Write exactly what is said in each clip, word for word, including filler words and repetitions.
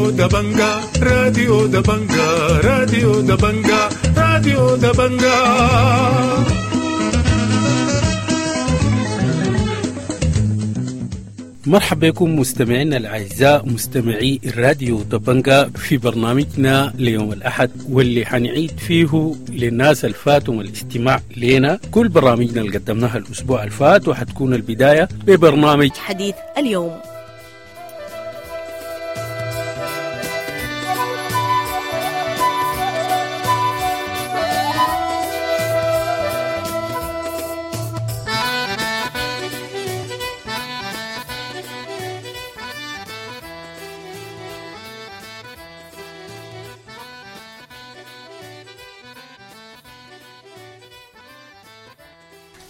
راديو دبنجا راديو دبنجا راديو دبنجا راديو دبنجا. مرحبا بكم مستمعينا الأعزاء مستمعي الراديو دبنجا في برنامجنا ليوم الأحد، واللي حنعيد فيه للناس الفاتوا الاستماع لنا كل برامجنا اللي قدمناها الأسبوع الفات، وحتكون البداية ببرنامج حديث اليوم.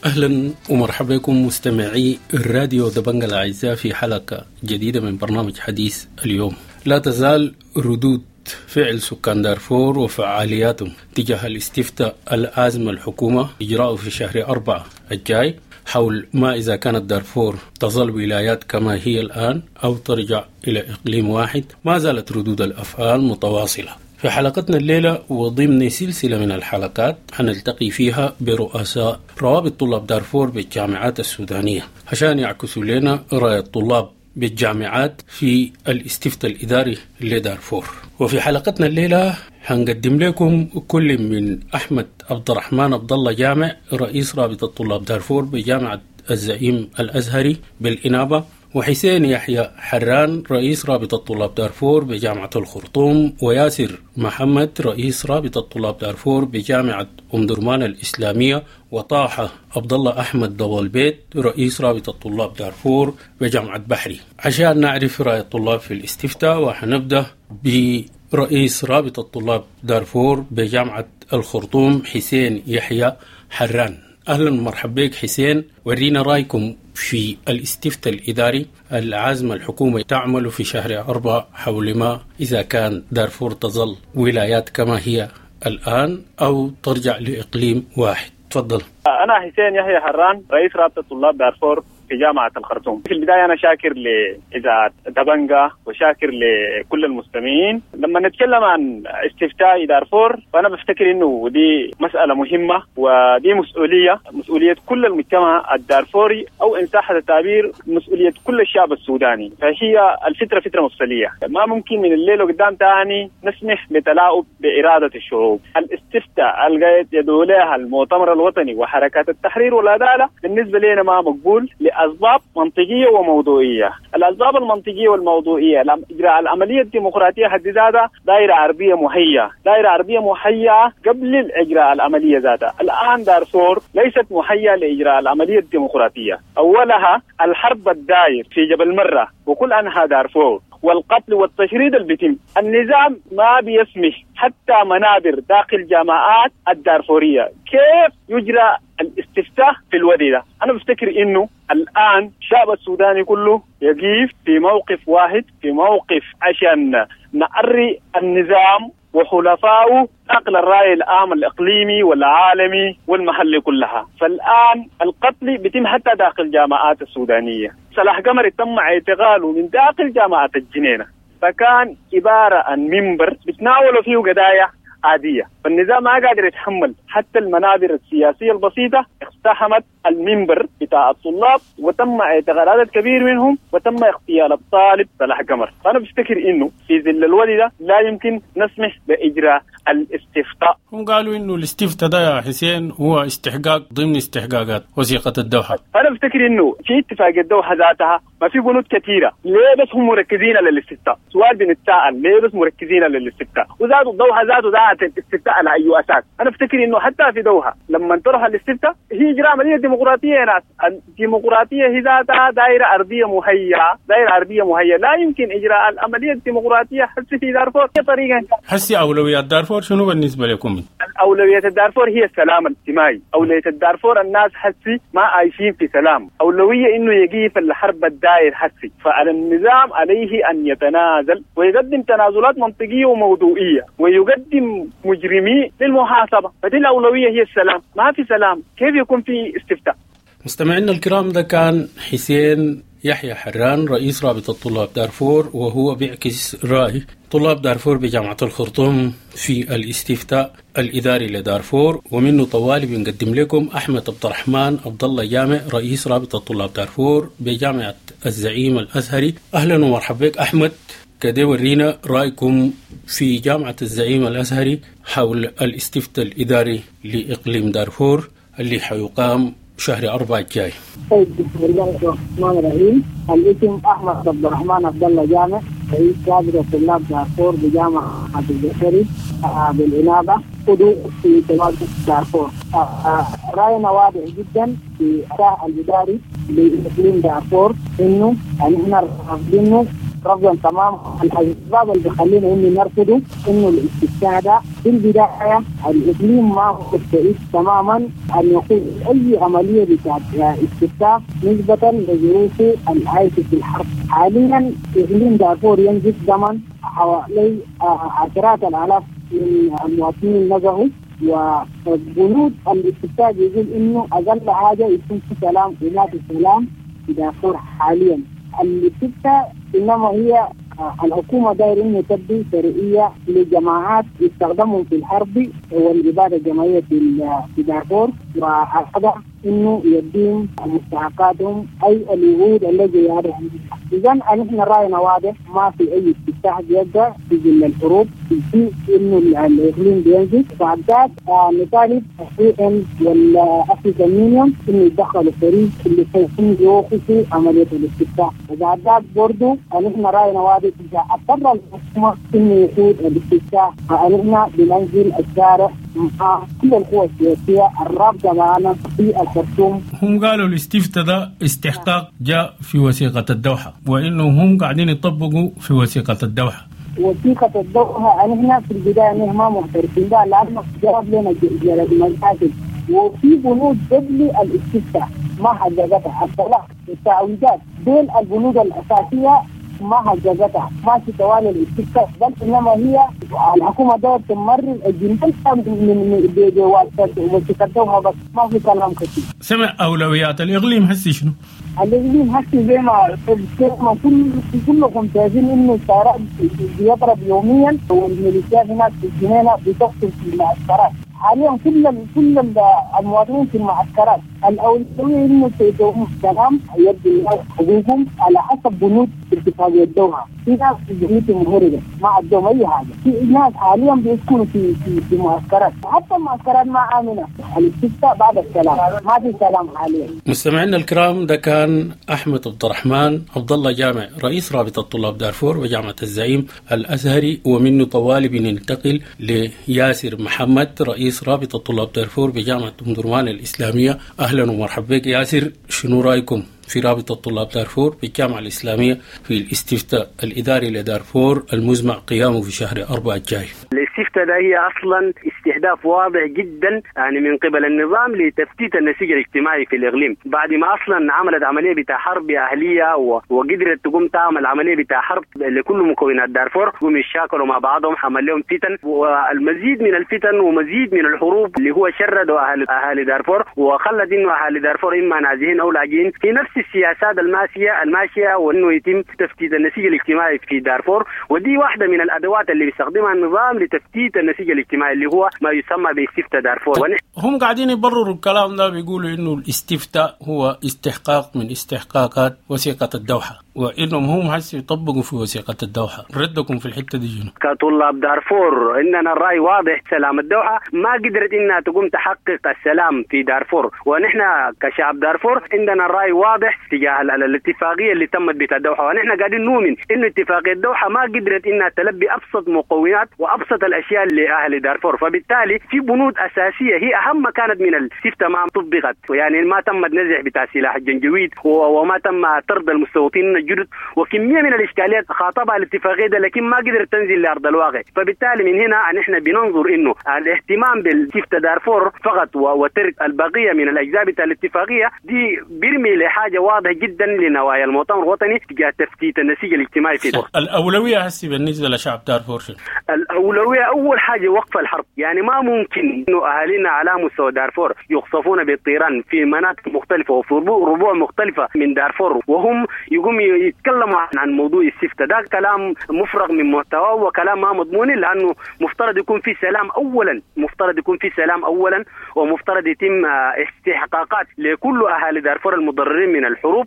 أهلا ومرحبا بكم مستمعي الراديو دبنجا الأعزاء في حلقة جديدة من برنامج حديث اليوم. لا تزال ردود فعل سكان دارفور وفعالياتهم تجاه الاستفتاء العازمة الحكومة إجراءه في شهر أربعة الجاي حول ما إذا كانت دارفور تظل ولايات كما هي الآن أو ترجع إلى إقليم واحد، ما زالت ردود الأفعال متواصلة. في حلقتنا الليلة وضمن سلسلة من الحلقات حنلتقي فيها برؤساء روابط طلاب دارفور بالجامعات السودانية عشان يعكسوا لنا رأي الطلاب بالجامعات في الاستفتاء الإداري لدارفور. وفي حلقتنا الليلة هنقدم لكم كل من أحمد عبد الرحمن عبد الله جامع رئيس رابطة طلاب دارفور بجامعة الزعيم الأزهري بالإنابة، وحسين يحيى حران رئيس رابطة طلاب دارفور بجامعة الخرطوم، وياسر محمد رئيس رابطة طلاب دارفور بجامعة أم درمان الإسلامية، وطاحة عبد الله أحمد ضوالبيت رئيس رابطة طلاب دارفور بجامعة بحري، عشان نعرف رأي الطلاب في الاستفتاء. وحنبدأ برئيس رابطة طلاب دارفور بجامعة الخرطوم حسين يحيى حران. أهلا ومرحبا بك حسين، ورينا رأيكم في الاستفتاء الإداري العازمة الحكومة تعمل في شهر أربعة حول ما إذا كان دارفور تظل ولايات كما هي الآن أو ترجع لإقليم واحد. تفضل. أنا حسين يحيى حران رئيس رابطة طلاب دارفور في جامعة الخرطوم. في البداية أنا شاكر لإذاعة دبنجا وشاكر لكل المستمعين. لما نتكلم عن استفتاء دارفور فأنا بفتكر إنه دي مسألة مهمة ودي مسؤولية، مسؤولية كل المجتمع الدارفوري أو إن صح التعبير مسؤولية كل الشعب السوداني. فهي الفترة فترة مفصلية، ما ممكن من الليل وقدام تاني نسمح بتلاعب بإرادة الشعوب. الاستفتاء اللي يدعو لها المؤتمر الوطني وحركات التحرير والعدالة بالنسبة لنا ما مقبول أسباب منطقية وموضوعية. الأسباب المنطقية والموضوعية إجراء العملية الديمقراطية حد ذاتها دائرة عربية مهيئة، دائرة عربية مهيئة قبل إجراء العملية ذاتها. الآن دارفور ليست مهيئة لإجراء العملية الديمقراطية. أولها الحرب الدائر في جبل مرة وكل أنحاء دارفور والقتل والتشريد اللي بيتم. النظام ما بيسمح حتى منابر داخل جامعات الدارفورية. كيف يجرى الاستفتاء في الوادي ده؟ أنا بفتكر إنه الآن الشعب السوداني كله يقف في موقف واحد، في موقف عشان نعري النظام وحلفائه نقل الرأي العام الإقليمي والعالمي والمحلي كلها. فالآن القتل بيتم حتى داخل جامعات السودانية. صلاح قمر تم اعتقاله من داخل جامعة الجنينة، فكان عبارة عن منبر بتناولوا فيه قضايا عادية. فالنظام ما قادر يتحمل حتى المنابر السياسية البسيطة، اقتحمت المنبر بتاع الطلاب وتم اعتقال عدد كبير منهم وتم اغتيال الطالب صلاح قمر. فأنا بفتكر إنه في ظل الوادي ده لا يمكن نسمح بإجراء الاستفتاء. هم قالوا إنه الاستفتاء ده يا حسين هو استحقاق ضمن استحقاقات وثيقة الدوحة. فأنا بفتكر إنه في اتفاق الدوحة ذاتها ما في بنود كثيرة، ليه بس هم مركزين على الاستفتاء؟ سؤال بنتساءل ليه بس مركزين على الاستفتاء؟ وذاته الدوحة ذاته ذات الاستفتاء على أي أساس؟ أنا بفتكر إنه حتى في دوحة لما طرح الاستفتاء هي إجراء عملية ديمقراطية يا ناس. الديمقراطية هي ذاتها دائرة أرضية مهيئة، دائرة أرضية مهيئة، لا يمكن إجراء العملية الديمقراطية حتى في دارفور طريقة. حسي أولويات دارفور شنو بالنسبة لكم؟ أولوية الدارفور هي السلام الاجتماعي. أولوية الدارفور الناس حسي ما عايشين في سلام. أولوية إنه يقيف الحرب الدائر حسي. فعلى النظام عليه أن يتنازل ويقدم تنازلات منطقية وموضوعية ويقدم مجرمي للمحاسبة. فدي الأولوية هي السلام. ما في سلام كيف يكون في استفتاء؟ مستمعينا الكرام، ده كان حسين يحيى حران رئيس رابطة طلاب دارفور، وهو بيعكس رأي طلاب دارفور بجامعة الخرطوم في الاستفتاء الإداري لدارفور. ومنه طوالي بنقدم لكم أحمد عبد الرحمن عبد الله جامع رئيس رابطة طلاب دارفور بجامعة الزعيم الأزهري. أهلا ومرحبا بك أحمد، كده ورينا رأيكم في جامعة الزعيم الأزهري حول الاستفتاء الإداري لإقليم دارفور اللي حيقام شهر أربعة الجاي. طيب، بسم الله الرحمن الرحيم. الاسم أحمد عبد الرحمن عبد الله جامع، رئيس رابطة طلاب دارفور بجامعة الزهري بالإنابة، عضو في تواجد دارفور. رأينا واضح جدا في الاستفتاء الإداري لإقليم دارفور إنه نحن رافضينه رفضا تمام. الاسباب اللي بيخلينا انه نرفضه انه الاستفتاء ده في البدايه الاقليم ما هو مستعد تماما ان يقوم اي عمليه بتاعت استفتاء نسبه لظروفه العايشه في الحرب. حاليا اقليم دارفور ينزف دما، حوالي عشرات الالاف من المواطنين نزحوا، وبنود الاستفتاء بيقول انه اقل حاجه يكون في سلام، وما في سلام في دارفور حاليا. الاستفتاء انما هي الحكومه داير انه تبدي شرعيه لجماعات يستخدمهم في الحرب والاباده الجماعيه في دارفور، وهذا انه يدين مستحقاتهم اي الوعود الذي يعرف. اذا نحن راينا واضح، ما في اي استفتاء بيبدا في ظل الحروب، في انه الاقليم بينزل. بعد ذاك نطالب ال UN وال African Union انه يتدخلوا فريق اللي سوف يوقفوا عمليه الاستفتاء. وبعد ذاك برضه نحن راينا واضح، اذا اضطر الحكومه انه يقود الاستفتاء فنحن بننزل الشارع مع كل القوى السياسيه الرابطه معنا في الخرطوم. هم قالوا الاستفتاء ده استحقاق جاء في وثيقه الدوحه، وانه هم قاعدين يطبقوا في وثيقه الدوحه. وثيقة الدوحة نحن في البداية نحن ما معترفين بها لأنه جاب لنا جلد مشاكل، وفي بنود قبل الاستفتاء ما حققتها، الطلاق التعويضات دول البنود الأساسية ما حققتها، ما في توالي الاستفتاء، بل إنما هي الحكومة دايرة تمرر الجنود من بوثيقة الدوحة بس، ما في كلام كثير. سمع أولويات الإقليم هسي شنو؟ الإقليم هسي زي ما كل كلكم شايفين إنه الطيران بيضرب يوميا، والميليشيات هناك في الجنينة بتقتل في المعسكرات. حاليا كل كل المواطنين في المعسكرات. الأولوية إنه سيدهم السلام يدي الناس حقوقهم على حسب بنود اتفاقية الدوحة. في ناس في بيوتهم مهربة ما عندهم أي حاجة، في ناس حاليا بيسكنوا في في في معسكرات، حتى المعسكرات ما آمنة. الاستفتاء بعد السلام، ما في سلام حاليا. مستمعينا الكرام، ده كان أحمد عبد الرحمن عبد الله جامع رئيس رابطة طلاب دارفور وجامعة الزعيم الأزهري، ومنه طوالي بننتقل لياسر محمد رئيس رابطة طلاب دارفور بجامعة أم درمان الإسلامية. أهلا ومرحبا بك ياسر، شنو رأيكم في رابطة طلاب دارفور بالجامعة الإسلامية في الاستفتاء الإداري لدارفور المزمع قيامه في شهر أربعة الجاي؟ الاستفتاء ده هي أصلا استهداف واضح جدا يعني من قبل النظام لتفتيت النسيج الاجتماعي في الإقليم، بعد ما أصلا عملت عملية بتاع حرب أهلية وقدرت تقوم تعمل عملية بتاع حرب لكل مكونات دارفور، قوم يشاكلوا مع بعضهم، عمل لهم فتن والمزيد من الفتن ومزيد من الحروب اللي هو شردوا أهل أهالي دارفور وخلت إنه أهالي دارفور إما نازحين أو لاجئين في نفس السياسات الماشية الماشية وإنه يتم تفتيت النسيج الاجتماعي في دارفور. ودي واحدة من الأدوات اللي بيستخدمها النظام لتفتيت النسيج الاجتماعي اللي هو ما يسمى باستفتاء دارفور. هم قاعدين يبرروا الكلام ده، بيقولوا إنه الاستفتاء هو استحقاق من استحقاقات وثيقة الدوحة، وإنهم هم هسه يطبقوا في وثيقة الدوحة. ردكم في الحتة دي شنو؟ كطلاب دارفور إننا الرأي واضح، سلام الدوحة ما قدرت إنها تقوم تحقق السلام في دارفور، ونحن كشعب دارفور عندنا الرأي واضح تجاه الاتفاقية اللي تمت بتاع الدوحة، ونحن قاعدين نؤمن إنه اتفاقية الدوحة ما قدرت إنها تلبي أبسط مقومات وأبسط الأشياء لأهل دارفور، فبالتالي في بنود أساسية هي أهم كانت من الاستفتاء ما طبقت، يعني ما تم نزع بتاع سلاح الجنجويد وما تم طرد المستوطنين الجدد وكمية من الإشكاليات خاطبها الاتفاقية ده، لكن ما قدرت تنزل لأرض الواقع. فبالتالي من هنا نحن بننظر إنه الاهتمام بالاستفتاء دارفور فقط وترك البقية من الأجزاء بتاع الاتفاقية دي بيرمي لحاجة حاجة واضحة جدا لنوايا المؤتمر الوطني تجاه تفتيت النسيج الاجتماعي في دارفور. الأولوية هسي بالنسبة لشعب دارفور شنو؟ الأولوية أول حاجة وقف الحرب، يعني ما ممكن إنه أهالينا على مستوى دارفور يقصفون بالطيران في مناطق مختلفة وفي ربوع مختلفة من دارفور وهم يقوم يتكلموا عن موضوع السفتة. ده كلام مفرغ من محتواه وكلام ما مضمون، لأنه مفترض يكون في سلام أولا، مفترض يكون في سلام أولا، ومفترض يتم استحقاقات لكل أهالي دارفور المتضررين من الحروب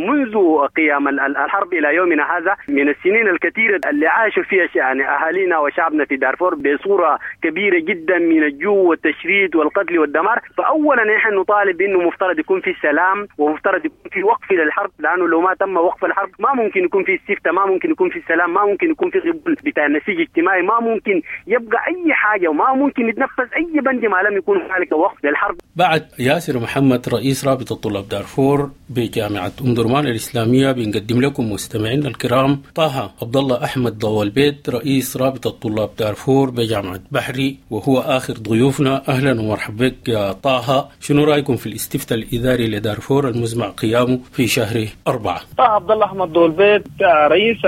منذ قيام الحرب إلى يومنا هذا، من السنين الكثيرة اللي عاشوا فيها يعني أهالينا وشعبنا في دارفور بصورة كبيرة جدا من الجوع والتشريد والقتل والدمار. فأولا نحن نطالب إنه مفترض يكون في سلام ومفترض يكون في وقف للحرب، لأنه لو ما تم وقف الحرب ما ممكن يكون في استفتاء، ما ممكن يكون في سلام، ما ممكن يكون في قبول بتاع نسيج اجتماعي، ما ممكن يبقى أي حاجة وما ممكن يتنفذ أي بند ما لم يكون هنالك وقف للحرب. بعد ياسر محمد رئيس رابطة طلاب دارفور بجامعة أم درمان الإسلامية بنقدم لكم مستمعينا الكرام طه عبد الله أحمد ضو البيت رئيس رابطة طلاب دارفور بجامعة بحري، وهو آخر ضيوفنا. أهلا ومرحبا بك يا طه، شنو رأيكم في الاستفتاء الإداري لدارفور المزمع قيامه في شهر أربعة؟ طه عبد الله أحمد ضو البيت رئيس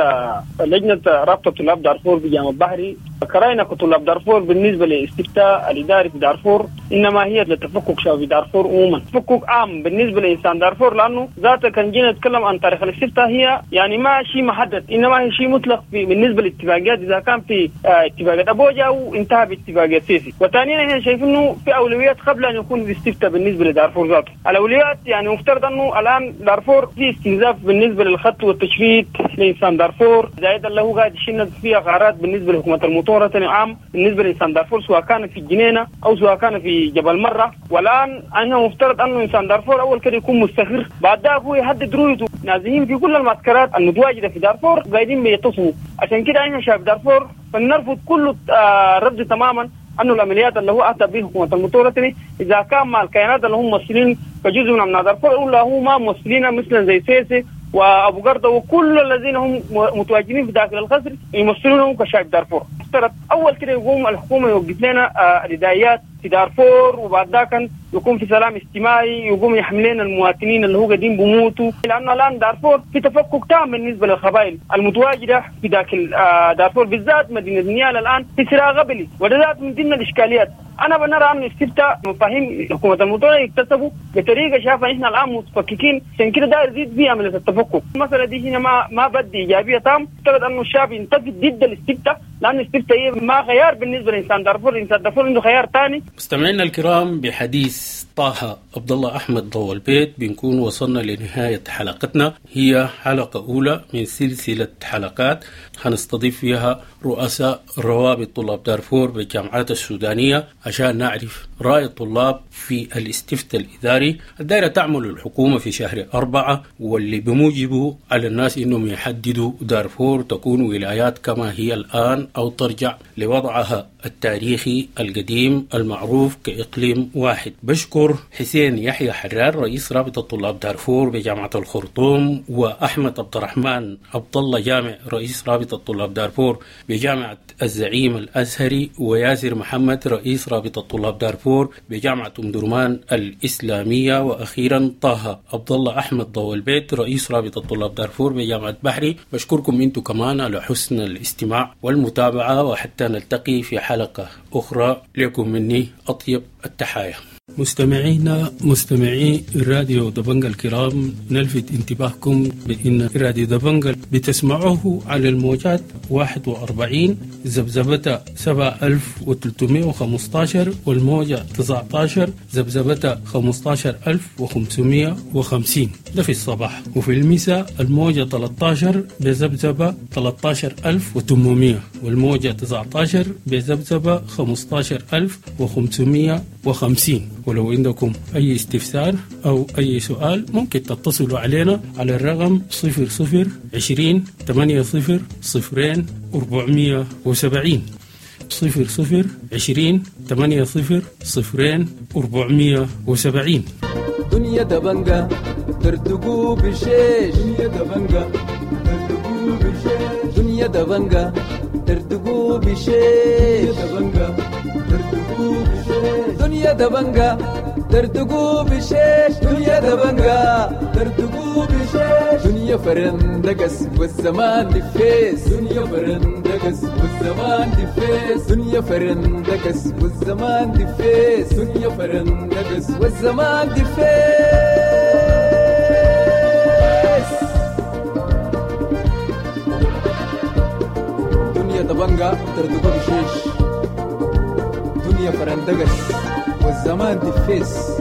لجنة رابطة طلاب دارفور بجامعة بحري. كرأينا كطلاب دارفور بالنسبة للاستفتاء الإداري في دارفور إنما هي لتفكك شعب دارفور عموما، تفكك عام بالنسبة لإنسان دارفور، لأنه ذاته كان جينا نتكلم عن تاريخ الاستفتاء هي يعني ما شيء محدد، إنما هي شيء مطلق في بالنسبة للاتفاقيات، إذا كان في اتفاقية أبوجا وانتهى باتفاقية سيسي. وثانيا احنا شايفين إنه في أولويات قبل أن يكون في استفتاء بالنسبة لدارفور ذاته. الأولويات يعني مفترض أنه الآن دارفور في استنزاف بالنسبة للخط والتشريد لإنسان دارفور، زائد له قاعد يشن فيها غارات بالنسبة لحكومة المؤتمر العام بالنسبة لإنسان دارفور سواء كان في الجنينة أو سواء كان في جبل مرة. والآن أنا مفترض أنه إنسان دارفور أول كده يكون مستقر، بعد ذاك هو يحدد رؤيته. نازلين في كل المعسكرات المتواجدة في دارفور قاعدين بيتصلوا، عشان كده احنا شعب دارفور فنرفض كل آه رفض تماما أنه العمليات اللي هو أتى به حكومة المؤتمر إذا كان مع الكيانات اللي هم ممثلين كجزء من أبناء دارفور ولا هو ما ممثلين مثلا زي سيسي وابو قرده وكل الذين هم متواجدين في داخل القصر يمثلونهم كشعب دارفور. افترض اول كده يقوم الحكومه يوقف لنا الادائيات في دارفور، وبعد ذاك يكون في سلام اجتماعي، يقوم يحمل لنا المواطنين اللي هو قاعدين بموتوا، لانه الان دارفور في تفكك تام بالنسبه للقبائل المتواجده في داخل دارفور، بالذات مدينه نيالا الان في صراع قبلي، وده ذات من ضمن الاشكاليات. انا بنرى ان استفتاء مفاهيم حكومه المؤتمر يكتسبوا بطريقه شايفه احنا الان متفككين، عشان كده داير يزيد فيها عمليه التفكك. المساله دي هنا ما ما بدي ايجابيه تام، افترض انه الشعب ينتفض ضد الاستفتاء، لان الاستفتاء هي ما خيار بالنسبه لانسان دارفور، الانسان دارفور عنده خيار ثاني. مستمعينا الكرام، بحديث طه عبد الله احمد ضو البيت بنكون وصلنا لنهايه حلقتنا، هي حلقه اولى من سلسله حلقات هنستضيف فيها رؤساء روابط طلاب دارفور بالجامعات السودانيه عشان نعرف رأي الطلاب في الاستفتاء الإداري الدائرة تعمل الحكومة في شهر أربعة، واللي بموجبه على الناس إنهم يحددوا دارفور تكون ولايات كما هي الآن أو ترجع لوضعها التاريخي القديم المعروف كإقليم واحد. بشكر حسين يحيى حرار رئيس رابطة طلاب دارفور بجامعة الخرطوم، وأحمد عبد الرحمن عبد الله جامع رئيس رابطة طلاب دارفور بجامعة الزعيم الأزهري، وياسر محمد رئيس رابطة طلاب دارفور بجامعة أم درمان الإسلامية، وأخيرا طه عبد الله أحمد ضو البيت رئيس رابطة طلاب دارفور بجامعة بحري. بشكركم أنتم كمان على حسن الاستماع والمتابعة، وحتى نلتقي في حلقة أخرى لكم مني أطيب التحايا. مستمعينا مستمعي راديو دبنجا الكرام، نلفت انتباهكم بأن راديو دبنجا بتسمعوه على الموجات واحد وأربعين ذبذبة سبعة ألف وثلاثمائة وخمسة عشر والموجة تسعة عشر ذبذبة خمسة عشر ألف وخمسمائة وخمسين، ده في الصباح، وفي المساء الموجة ثلاثة عشر بذبذبة ثلاثة عشر ألف وثمانمائة والموجة تسعة عشر بذبذبة خمسة عشر ألف وخمسمائة وخمسين. ولو عندكم أي استفسار أو أي سؤال ممكن تتصلوا علينا على الرقم صفر صفر عشرين ثمانية صفر صفرين أربعمية وسبعين، صفر صفر عشرين ثمانية صفر صفرين أربعمية وسبعين. دنيا دبنجة ترتقو بالشيش، دنيا دبنجة ترتقو بالشيش، دنيا دبنجة ترتقو بالشيش، دبنجة ترتقو بالشيش، دنيا دبنجة ترتقو بالشيش، دنيا دبنجة ترتقو دنيا فرندقس والزمان دفيس، دنيا فرندقس والزمان دفيس، دنيا فرندقس والزمان دفيس، دنيا فرندقس والزمان دفيس. دنيا دبنجا تردقو بشيش، دنيا فرندقس والزمان دفيس.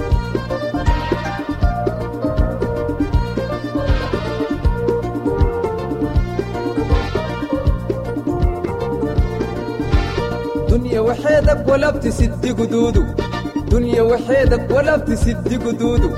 دنيا وحيدك ولا بتسد قدوده، دنيا وحيدك ولا بتسد قدوده،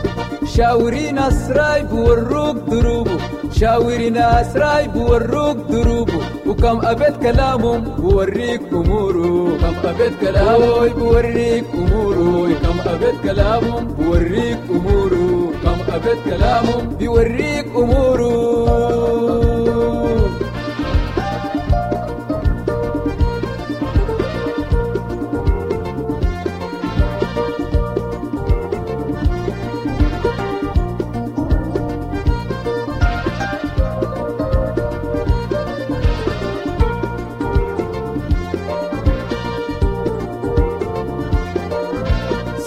شاوري ناس رايب وروك دروبه، شاوري ناس رايب وروك دروبه، وكم أبيت كلامهم بوريك أموره، كم أبيت كلامه بوريك أموره، كم أبيت كلامهم بوريك أموره، كم أبيت كلامهم بوريك أموره.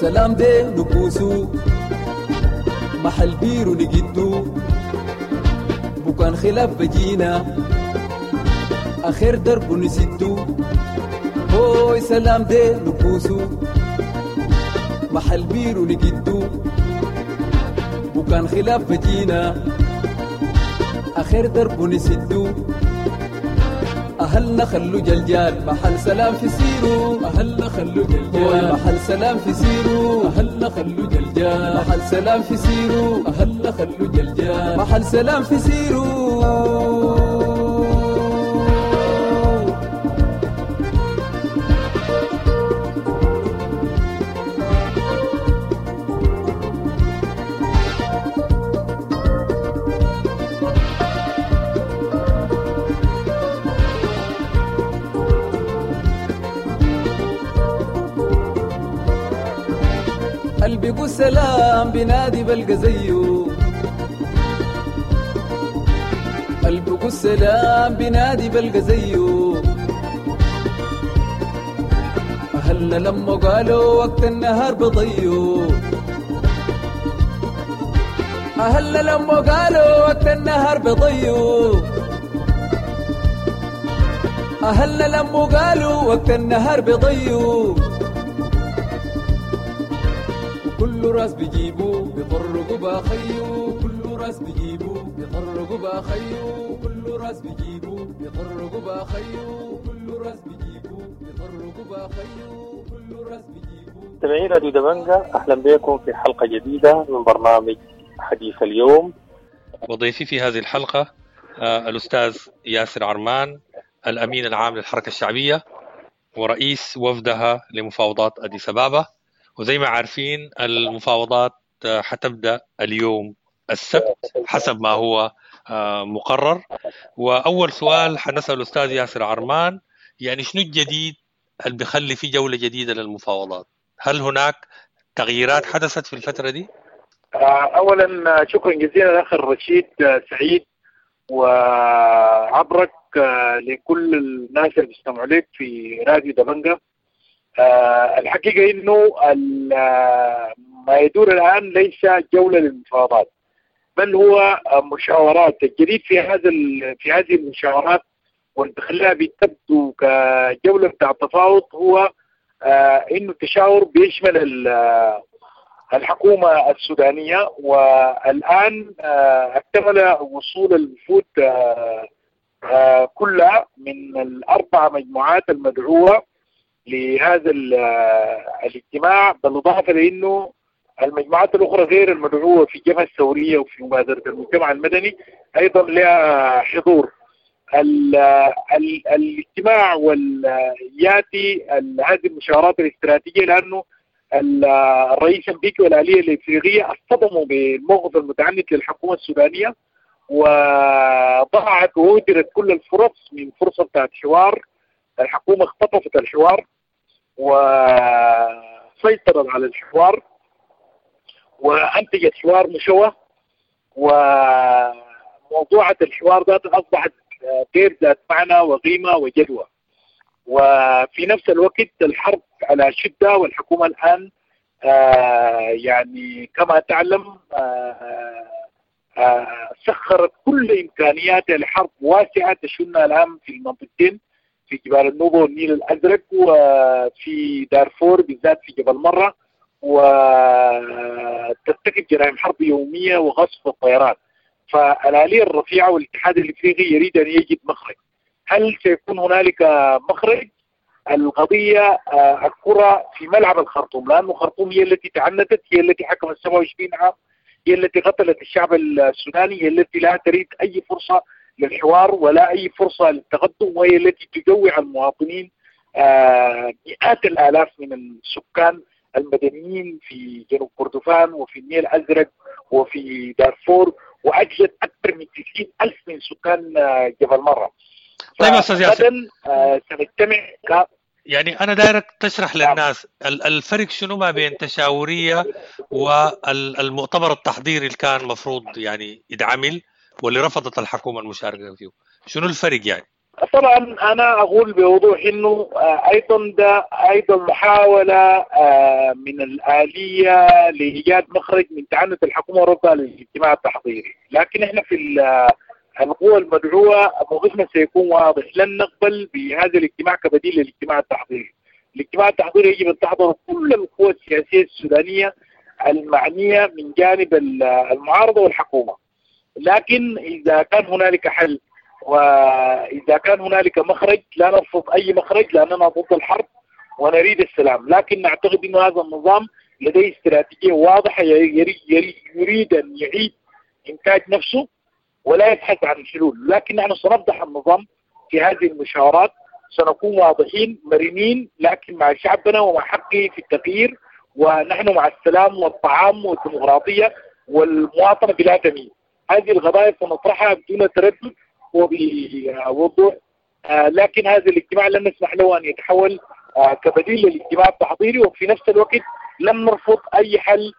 سلام دي نكوسو محل بيرو نجدو، بكان خلاف بجينا آخر درب نسدو، هوي سلام دي نكوسو محل بيرو نجدو، بكان خلاف بجينا آخر درب نسدو، أهلنا خلو جلجال محل سلام في سيرو، أهلنا خلو جلجال محل سلام في سيرو، أهلنا خلو جلجال محل سلام في سيرو، أهلنا خلو جلجال محل سلام في سيرو. قلبي سلام بنادي بلقى زيه، قلبي سلام بنادي بلقى زيه، أهلنا لما قالوا وقت النهار بضيو، أهلنا لما قالوا وقت النهار بضيو، أهلنا لما قالوا وقت النهار بضيو، كل راس بيجيبو بيطرقوا باخيو، كل راس بيجيبو بيطرقوا باخيو، كل راس بيجيبو بيطرقوا باخيو، كل راس بيجيبو بيطرقوا باخيو، كل راس بيجيبو. مستمعي راديو دبنجا، أهلا بكم في حلقة جديدة من برنامج حديث اليوم. وضيفي في هذه الحلقة الأستاذ ياسر عرمان، الأمين العام للحركة الشعبية ورئيس وفدها لمفاوضات أديس أبابا. وزي ما عارفين المفاوضات حتبدأ اليوم السبت حسب ما هو مقرر. وأول سؤال حنسأل الأستاذ ياسر عرمان، يعني شنو الجديد اللي بيخلي في جولة جديدة للمفاوضات؟ هل هناك تغييرات حدثت في الفترة دي؟ أولا شكرا جزيلا الأخ الرشيد سعيد، وعبرك لكل الناس اللي بيستمعوا لك في راديو دبنجة. الحقيقة إنه ما يدور الآن ليس جولة للمفاوضات، بل هو مشاورات. الجديد في هذا في هذه المشاورات واللي بخليها بتبدو كجولة بتاع التفاوض هو إنه التشاور بيشمل الحكومة السودانية. والآن اكتمل وصول الوفود كلها من الأربع مجموعات المدعوة لهذا الاجتماع، بالإضافة لأنه المجموعات الأخرى غير المدعوة في الجبهة الثورية وفي مبادرة المجتمع المدني أيضا لها حضور. ال ال الاجتماع والياتي هذه المشاورات الاستراتيجية، لأنه الرئيس الأمريكي والآلية الإفريقية اصطدموا بالموقف المتعنت للحكومة السودانية، وضاعت وأهدرت كل الفرص من فرصة بتاعت حوار. الحكومة اختطفت الحوار وسيطرت على الحوار وأنتجت حوار مشوه وما موضوعة الحوار ذات أصبحت غير ذات معنى وقيمة وجدوى. وفي نفس الوقت الحرب على شدة، والحكومة الآن يعني كما تعلم سخرت كل إمكانياتها لحرب واسعة تشنها الآن في المنطقتين، في جبال النوبة والنيل الأزرق، وفي دارفور بالذات في جبل مرة، وترتكب جرائم حرب يومية وغصب الطيران. فالآلية الرفيعة والاتحاد الإفريقي يريد أن يجد مخرج. هل سيكون هنالك مخرج؟ القضية الكرة في ملعب الخرطوم، لأن الخرطوم هي التي تعنتت، هي التي حكمت سبعة وعشرين عام، هي التي قتلت الشعب السوداني، هي التي لا تريد أي فرصة للحوار ولا أي فرصة للتقدم، وهي التي تجوع المواطنين مئات الآلاف من السكان المدنيين في جنوب كردفان وفي النيل الأزرق وفي دارفور، وأجلت أكثر من تسعين ألف من سكان جبل مرة. طيب أستاذ ياسر، سنجتمع ك... يعني أنا دايرك تشرح للناس الفرق شنو ما بين تشاورية والمؤتمر التحضيري اللي كان مفروض يعني يدعمل واللي رفضت الحكومة المشاركة فيه، شنو الفرق يعني؟ طبعا أنا أقول بوضوح إنه أيضا ده أيضا محاولة من الآلية لإيجاد مخرج من تعنت الحكومة ورفضها للاجتماع التحضيري، لكن إحنا في القوى المدعوة موقفنا سيكون واضح، لن نقبل بهذا الاجتماع كبديل للاجتماع التحضيري. الاجتماع التحضيري يجب أن تحضر كل القوى السياسية السودانية المعنية من جانب المعارضة والحكومة، لكن إذا كان هنالك حل وإذا كان هنالك مخرج لا نرفض أي مخرج، لأننا ضد الحرب ونريد السلام، لكن نعتقد أن هذا النظام لديه استراتيجية واضحة يريد أن يعيد إنتاج نفسه ولا يبحث عن حلول، لكن نحن سنفضح النظام في هذه المشاورات، سنكون واضحين مرنين لكن مع شعبنا ومع حقه في التغيير، ونحن مع السلام والطعام والديمقراطية والمواطنة بلا تمييز. هذه القضايا سنطرحها بدون تردد وبوضوح، لكن هذا الاجتماع لن نسمح له أن يتحول كبديل للاجتماع التحضيري، وفي نفس الوقت لن نرفض أي حل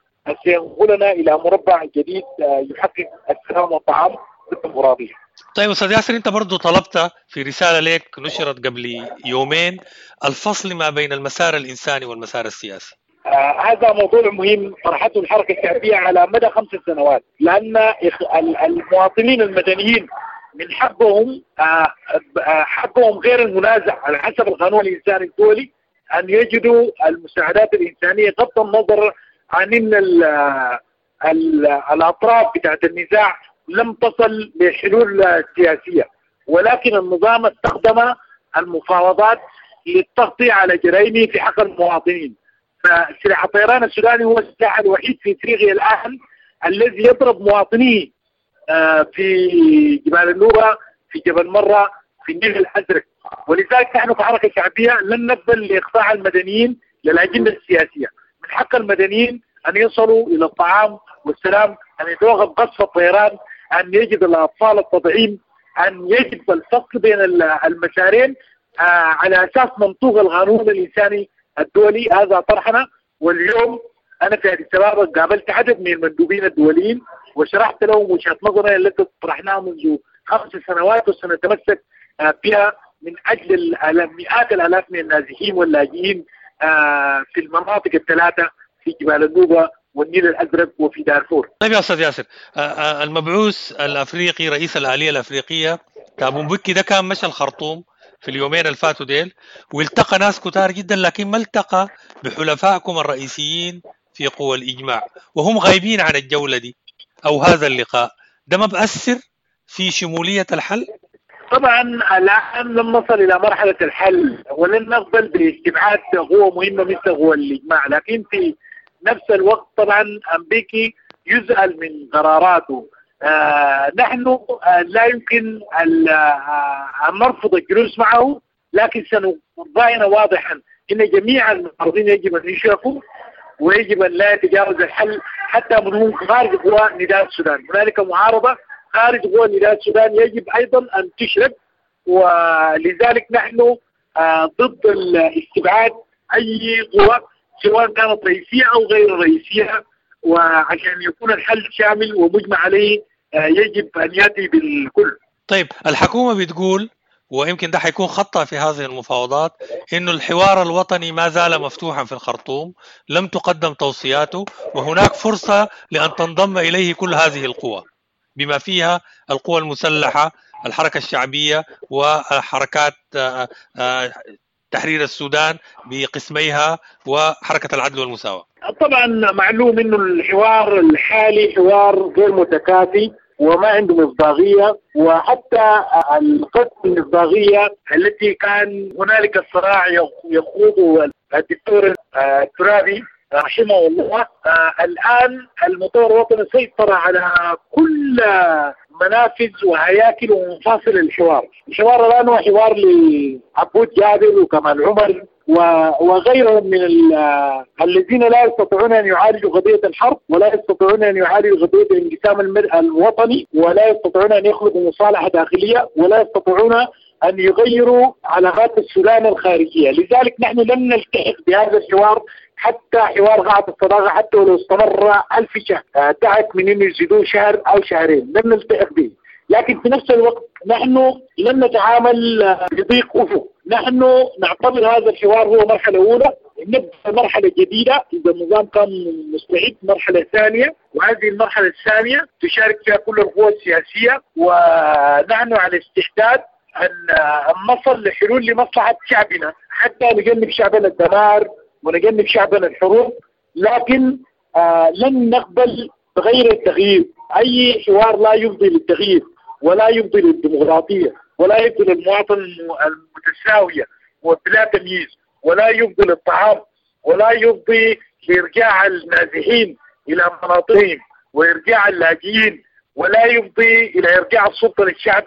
سينقلنا إلى مربع جديد يحقق السلام والطعام والديمقراطية. طيب أستاذ ياسر، أنت برضو طلبت في رسالة لك نشرت قبل يومين الفصل ما بين المسار الإنساني والمسار السياسي. آه هذا موضوع مهم طرحته الحركة الشعبية على مدى خمس سنوات، لأن المواطنين المدنيين من حقهم آه حقهم غير المنازع على حسب القانون الإنساني الدولي أن يجدوا المساعدات الإنسانية بغض النظر عن أن ال ال الأطراف بتاعت النزاع لم تصل لحلول سياسية، ولكن النظام استخدم المفاوضات للتغطية على جرائمه في حق المواطنين. فسلاح الطيران السوداني هو السلاح الوحيد في افريقيا الآن الذي يضرب مواطنيه في جبال النوبة، في جبل مرة، في النيل الأزرق، ولذلك نحن كحركة شعبية لن نقبل لإخضاع المدنيين للأجندة السياسية. من حق المدنيين أن يصلوا إلى الطعام والسلام، أن يتوقف قصف الطيران، أن يجد الأطفال التطعيم، أن يجب الفصل بين المسارين على أساس منطوق القانون الإنساني الدولي. هذا طرحنا، واليوم أنا في أديس أبابا قابلت عدد من المندوبين الدوليين وشرحت لهم وجهة نظرنا التي طرحناها منذ خمس سنوات وسنتمسك بها من أجل مئات الآلاف من النازحين واللاجئين في المناطق الثلاثة في جبال النوبة والنيل الأزرق وفي دارفور. طيب يا أستاذ ياسر، المبعوث الأفريقي رئيس الآلية الأفريقية تابو مبكي ده كان مشى الخرطوم في اليومين الفاتوا ديل والتقى ناس كتار جدا، لكن ما التقى بحلفائكم الرئيسيين في قوى الإجماع وهم غايبين عن الجولة دي أو هذا اللقاء، ده ما بأثر في شمولية الحل؟ طبعا الآن لم نصل إلى مرحلة الحل ولن نقبل باستبعاد قوة مهمة مثل قوى الإجماع، لكن في نفس الوقت طبعا أمبيكي يسأل من قراراته. آه نحن آه لا يمكن أن نرفض الجلوس معه، لكن سنضعنا واضحا إن جميع المعارضين يجب أن يشركوا ويجب أن لا يتجاوز الحل حتى من هم خارج قوى نداء السودان. هنالك معارضة خارج قوى نداء السودان يجب أيضا أن تشرك، ولذلك نحن آه ضد الاستبعاد أي قوى سواء كانت رئيسية أو غير رئيسية، وعشان يكون الحل شامل ومجمع عليه يجب أن يأتي بالكل. طيب الحكومة بتقول، ويمكن ده حيكون خطأ في هذه المفاوضات، إنه الحوار الوطني ما زال مفتوحا في الخرطوم، لم تقدم توصياته، وهناك فرصة لأن تنضم إليه كل هذه القوى بما فيها القوى المسلحة، الحركة الشعبية، وحركات تحرير السودان بقسميها، وحركة العدل والمساواة. طبعا معلوم إنه الحوار الحالي حوار غير متكافئ وما عنده مصداقية، وحتى القسم المصداقية التي كان هنالك الصراع يخوضه الدكتور الترابي رحمه الله، الآن المؤتمر الوطني سيطر على كل منافذ وهياكل ومفاصل الحوار. الحوار الآن هو حوار لعبود جابر وكمال عمر وغيرهم من الذين لا يستطيعون أن يعالجوا قضية الحرب، ولا يستطيعون أن يعالجوا قضية الانقسام الوطني، ولا يستطيعون أن يخلقوا مصالحة داخلية، ولا يستطيعون أن يغيروا علاقات السودان الخارجية. لذلك نحن لم نلتحق بهذا الحوار، حتى حوار قاعة الصداقة حتى ولو استمر ألف شهر تعب من إنه يزيدوه شهر أو شهرين لم نلتحق به. لكن في نفس الوقت نحن لم نتعامل بضيق أفق، نحن نعتبر هذا الحوار هو مرحلة أولى، نبدأ مرحلة جديدة إذا النظام كان مستعد، مرحلة ثانية، وهذه المرحلة الثانية تشارك فيها كل القوى السياسية، ونحن على استعداد أن نصل لحلول لمصلحة شعبنا حتى نجنب شعبنا الدمار ونجنب شعبنا الحروب. لكن آه لن نقبل بغير التغيير. أي حوار لا يفضي للتغيير ولا يفضي للديمقراطية ولا يفضي للمواطن المتساوية وبلا تمييز، ولا يفضي للطعام، ولا يفضي لإرجاع النازحين إلى مناطقهم وإرجاع اللاجئين، ولا يفضي إلى إرجاع السلطة للشعب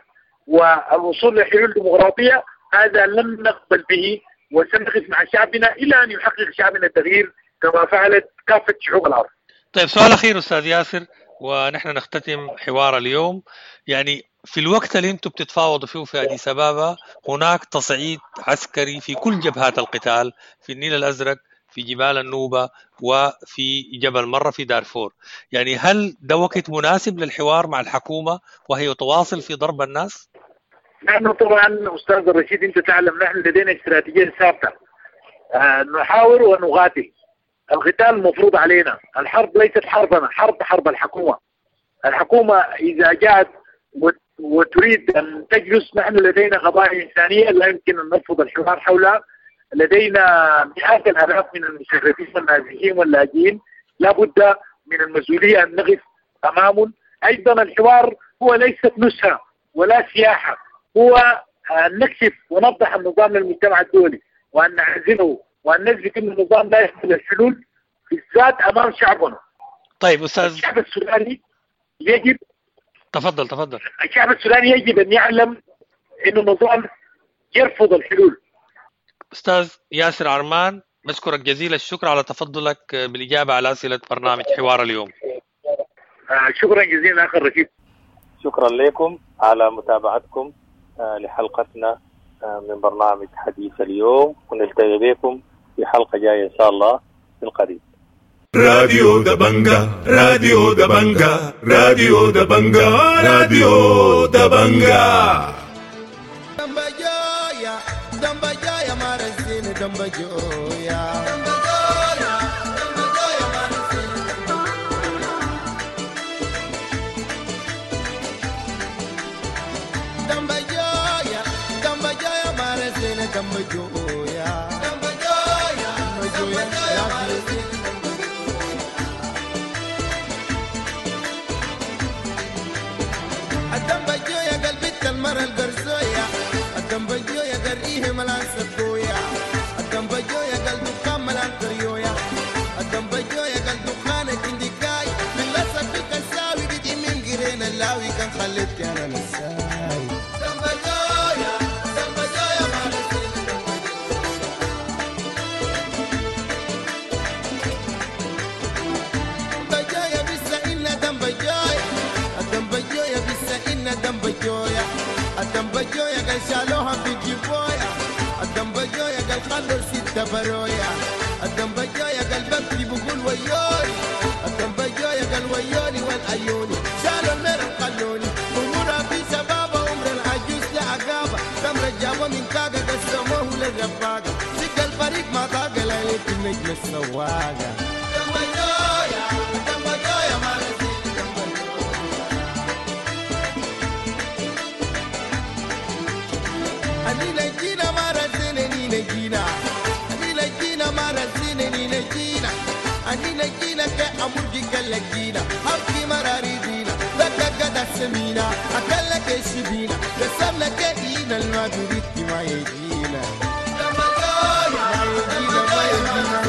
والوصول لحلول ديمقراطية. هذا لن نقبل به، وسنقف مع شعبنا إلى أن يحقق شعبنا التغيير كما فعلت كافة شعوب الأرض. طيب سؤال أخير أستاذ ياسر ونحن نختتم حوار اليوم. يعني في الوقت اللي انتم بتتفاوضوا فيه في أديس أبابا هناك تصعيد عسكري في كل جبهات القتال، في النيل الأزرق، في جبال النوبة، وفي جبل مرة في دارفور. يعني هل ده وقت مناسب للحوار مع الحكومة وهي تواصل في ضرب الناس؟ نحن طبعا أستاذ الرشيد أنت تعلم نحن لدينا استراتيجية ثابتة، آه نحاور ونقاتل. القتال مفروض علينا، الحرب ليست حربنا، حرب حرب الحكومة. الحكومة إذا جاءت وتريد أن تجلس، نحن لدينا قضايا إنسانية لا يمكن أن نرفض الحوار حولها. لدينا مئات الآلاف من المشردين والنازحين واللاجئين، لا بد من المسؤولية أن نقف أمامهم. أيضا الحوار هو ليست نزهة ولا سياحة، هو أن نكشف ونفضح النظام للمجتمع الدولي وأن نعزله وأن نثبت أن النظام لا يحمل الحلول بالذات أمام شعبنا. طيب أستاذ، الشعب السوداني يجب تفضل تفضل الشعب السوداني يجب أن يعلم أن النظام يرفض الحلول. أستاذ ياسر عرمان، بشكرك جزيل الشكر على تفضلك بالإجابة على أسئلة برنامج حوار اليوم. آه شكرا جزيلا أخي الرشيد. شكرا لكم على متابعتكم لحلقتنا من برنامج حديث اليوم، ونلتقي بكم في حلقة جاية إن شاء الله في القريب. راديو دبنجا، راديو دبنجا، راديو دبنجا، راديو دبنجا. دمبجويا دمبجويا مارسين دمبجويا دمبجويا مارسين دمبجويا دمبجويا مارسين دمبجويا دمبجويا دمبجويا مارسين. الدمبجويا قلبي المرة القرزويا، الدمبجويا قريه ملان سبويا، الدمبجويا قلب دخان ملان كريويا، الدمبجويا قلب دخان الجندكاي من لصق في الكساوي بدي من قرين اللاوي كان خليتك انا نساي. دمبجويا دمبجويا مارسين دمبجويا بس دمبجويا، الدمبجويا بس دمبجويا، الدمبجويا قال شالوها في جيبويا، الدمبجويا قال خلوا ستة برويا، الدمبجويا قال ببكي بقول ويوني، الدمبجويا قال ويوني والعيوني شالوا المرة. الرفاقة شق الفريق ما ضاق ليلة النجم السواقة دمبجويا دمبجويا ما رزيل دمبجويا أنينا جينا ما رزينا نينا جينا أنينا جينا ما رزينا نينا جينا أنينا جينا كأمرجي كالجينا حبكي مراري دينا دقة سمينا أكلك الشبينا قسمنا كإينا الما بريد ما يجينا ما يجينا ما يجينا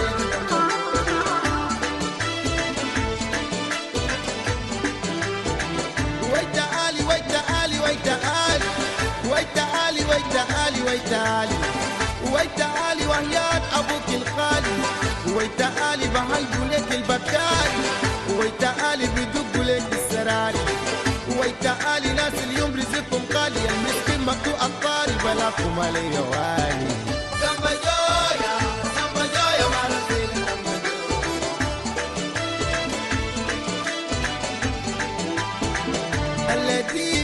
ويتعالي ويتعالي ويتعالي ويتعالي ويتعالي ويتعالي ويتعالي وحياة أبوك الخالي ويتعالي بهلبوا لك البكاري ويتعالي بدقوا لك السراري ويتعالي ناس اليوم رزقكم غالي المسكين مقطوع الطاري بلاكم علي والي دمبجويا دمبجويا ما رزيل دمبجويا التي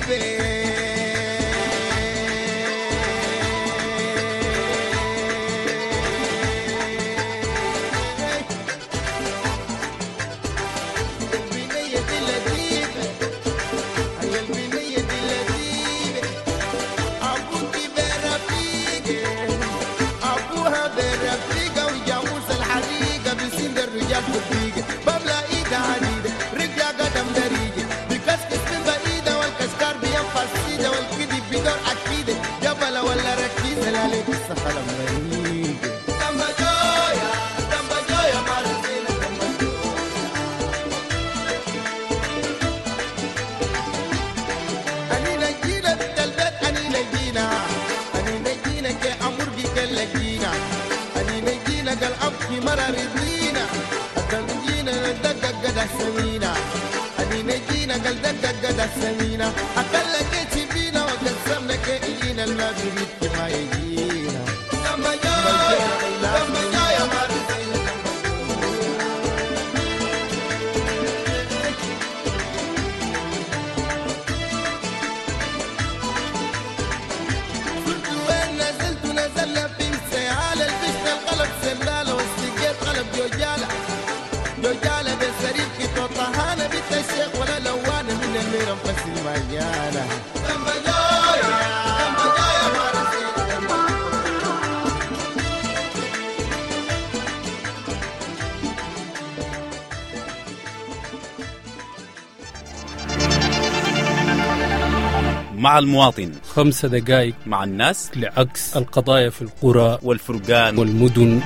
مع المواطن خمسة دقائق مع الناس لعكس القضايا في القرى والفرقان والمدن.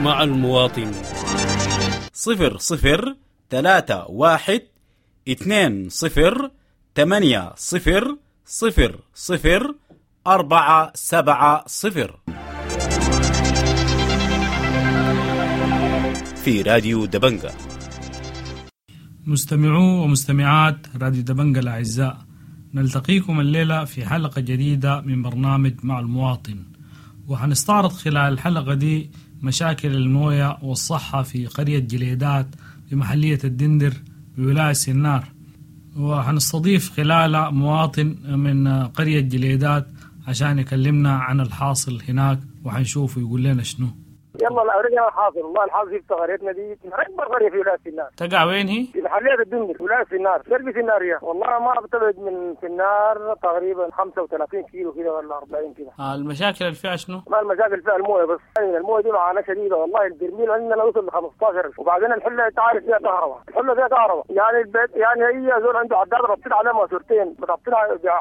مع المواطن صفر صفر ثلاثة واحد اثنين صفر ثمانية صفر صفر صفر أربعة سبعة صفر في راديو دبنجة. مستمعو ومستمعات راديو دبنجة الأعزاء، نلتقيكم الليلة في حلقة جديدة من برنامج مع المواطن، وحنستعرض خلال الحلقة دي مشاكل الموية والصحة في قرية جليدات بمحلية الدندر بولاية سنار، وحنستضيف خلالها مواطن من قرية جليدات عشان يكلمنا عن الحاصل هناك وحنشوفه يقول لنا شنو. يلا الأورية الحاصل والله الحاصل في قريتنا دي أكبر قرية في ولاية سنار. تقع وين هي؟ في محلية الدندر ولاية سنار، شرق سنارية. والله ما بتبعد من سنار تقريبا خمسة وثلاثين كيلو كده ولا أربعين كده. آه المشاكل اللي فيها شنو؟ ما المشاكل فيها المويه بس، يعني المويه دي معاناة شديدة والله. البرميل عندنا وصل ل خمسة عشر، وبعدين الحلة انت عارف فيها كهرباء، الحلة فيها كهرباء، يعني البيت يعني هي زول عنده عداد ربطت عليه ماسورتين، بتربطين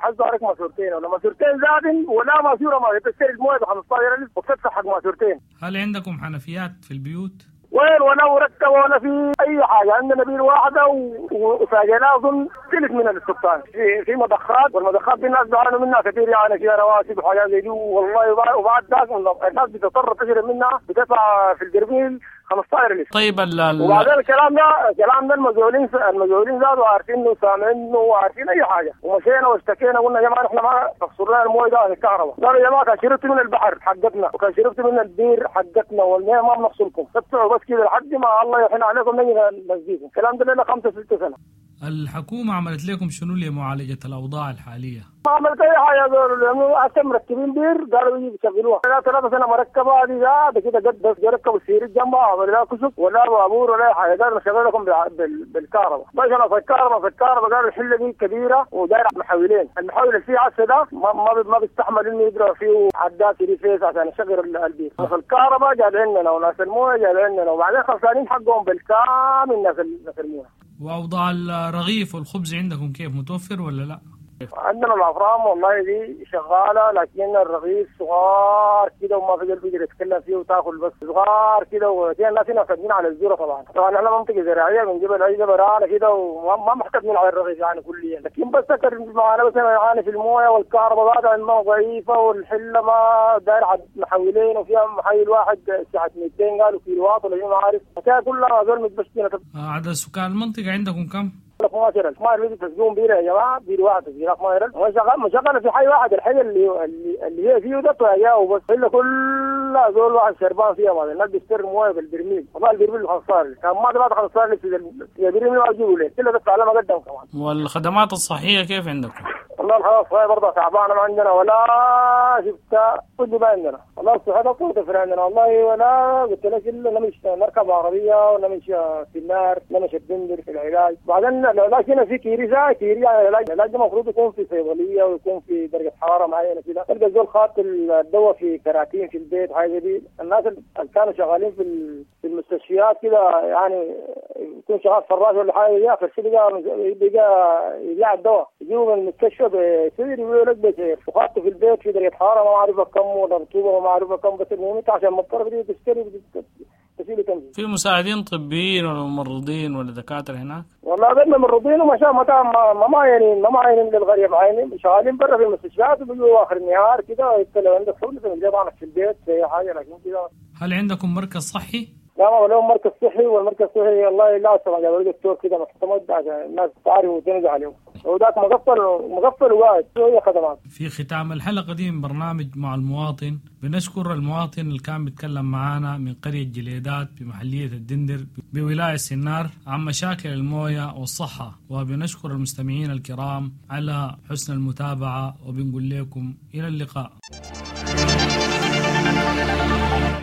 حظ عليك ماسورتين ولا ماسورتين زادن ولا ماسوره ما تشتري المويه ب خمسة عشر ألف وبتدفع حق ماسورتين. هل عندكم حنفيات في البيوت؟ وين ولا مركبة ولا في اي حاجة، عندنا بير واحدة وفاجئنا اظن ثلث من السكان في في مضخات، والمضخات دي الناس بيعانوا منها كثير، يعني فيها رواسب وحاجات زي دي والله. وبعد ذاك الناس بتضطر تشرب منها، بتدفع في البرميل خمسة عشر لتر. طيب ال وبعدين الكلام ده الكلام ده المسؤولين المسؤولين زادوا عارفينه وسامعينه وعارفين اي حاجة، ومشينا واشتكينا قلنا يا جماعة احنا ما تفصلوا لنا المويه ده عن الكهرباء، قالوا يا جماعة كان شربتوا من البحر حقتنا وكان شربتوا من البير حقتنا والمية ما بنفصلكم، تدفعوا بس كده لحد ما الله يحن عليكم نجي نسقيكم. الكلام ده لنا خمسة ستة سنة. الحكومة عملت لكم شنو لمعالجة الأوضاع الحالية؟ ما عملت اي حاجه زول، هسه مركبين بير قالوا يجي يشغلوها، لا ثلاثة سنه مركبه دي ده كده قد بس ركبوا السير جنبها ولا كشك ولا بابور ولا اي حاجه، قالوا نشغل لكم بالكهرباء، بس انا في الكهرباء في الكهرباء قالوا الحله دي كبيره ودايره محاولين، المحاول اللي فيه عسى ده ما ما, ما بيستحمل انه يقرا فيه عداد three phase عشان يشغل البير، في الكهرباء جاب عندنا وناس المويه جاب عندنا، وبعدين خسرانين حقهم بالكامل ناس المويه. واوضاع الرغيف والخبز عندكم كيف، متوفر ولا لا؟ عندنا الافران والله دي شغاله، لكن الرغيف صغار كده وما في قلب يقدر يتكلم فيه وتاكل بس صغار كده، وفي الناس هنا معتمدين على الذره طبعا. طبعا احنا منطقه زراعيه بنجيب العيش برانا كده وما معتمدين على الرغيف يعني كليا، لكن بس سكر معانا بس معانا في المويه والكهرباء بعد الماء ضعيفه، والحله ما داير محولين وفيها محول واحد ساعه مئتين قالوا كيلو واط ولا ما عارف، الحكايه كلها زول متبشتين. عدد سكان المنطقه عندكم كم؟ اثنا عشر ألف. ما في تسجون بير يا جماعه، بير واحد تسجيل اثنا عشر ألف مشغل مشغل في حي واحد، الحي اللي اللي هي فيه ده يا بس الا كلها زول واحد شربان فيها. بعد الناس بيشتري مويه بالبرميل، والله البرميل خمسة عشر كان ما دفعت خمسة عشر في البرميل ما اجيبه ليه كله دفع على ما قدم كمان. والخدمات الصحيه كيف عندكم؟ والله الخدمات الصحيه برضه تعبانه، ما عندنا ولا شفت كل ما عندنا، والله الصحه ده عندنا والله، ولا قلت لك الا نمشي نركب عربيه ونمشي في النار نمشي الدندر في العلاج. بعدين العلاج هنا في كيري زي كيري، يعني العلاج العلاج المفروض يكون في صيدليه ويكون في درجه حراره معينه كده، تلقى الزول خاط الدواء في كراتين في البيت حاجه دي. الناس اللي كانوا شغالين في في المستشفيات كده يعني يكون شغال فراش ولا حاجه دي، اخر شيء بقى بقى يبيع الدواء يجيبه من المستشفى بسعر يقولوا لك بسعر، وخاطه في البيت في درجه حراره ما معروفه كم ولا رطوبه ما معروفه كم، بس المهم انت عشان مضطر تشتري تشيل تمشي. في مساعدين طبيين ولا ممرضين ولا دكاتره هناك؟ والله قلنا ممرضين وما شاء ما ما معينين ما معينين للغريب، معينين شغالين برا في المستشفيات وبيجوا اخر النهار كده يتكلم عندك شغل في طبعا في البيت في حاجه. لكن كده هل عندكم مركز صحي؟ لا ما لهم مركز صحي، والمركز الصحي والله لا طبعا جابوا دكتور كده معتمد عشان الناس تعرف وتنزل عليه، وذاك مقفل مقفل وقاعد هي خدمات. في ختام الحلقة دي من برنامج مع المواطن بنشكر المواطن اللي كان بيتكلم معانا من قرية جليدات بمحلية الدندر بولاية سنار عن مشاكل الموية والصحة، وبنشكر المستمعين الكرام على حسن المتابعة، وبنقول لكم إلى اللقاء.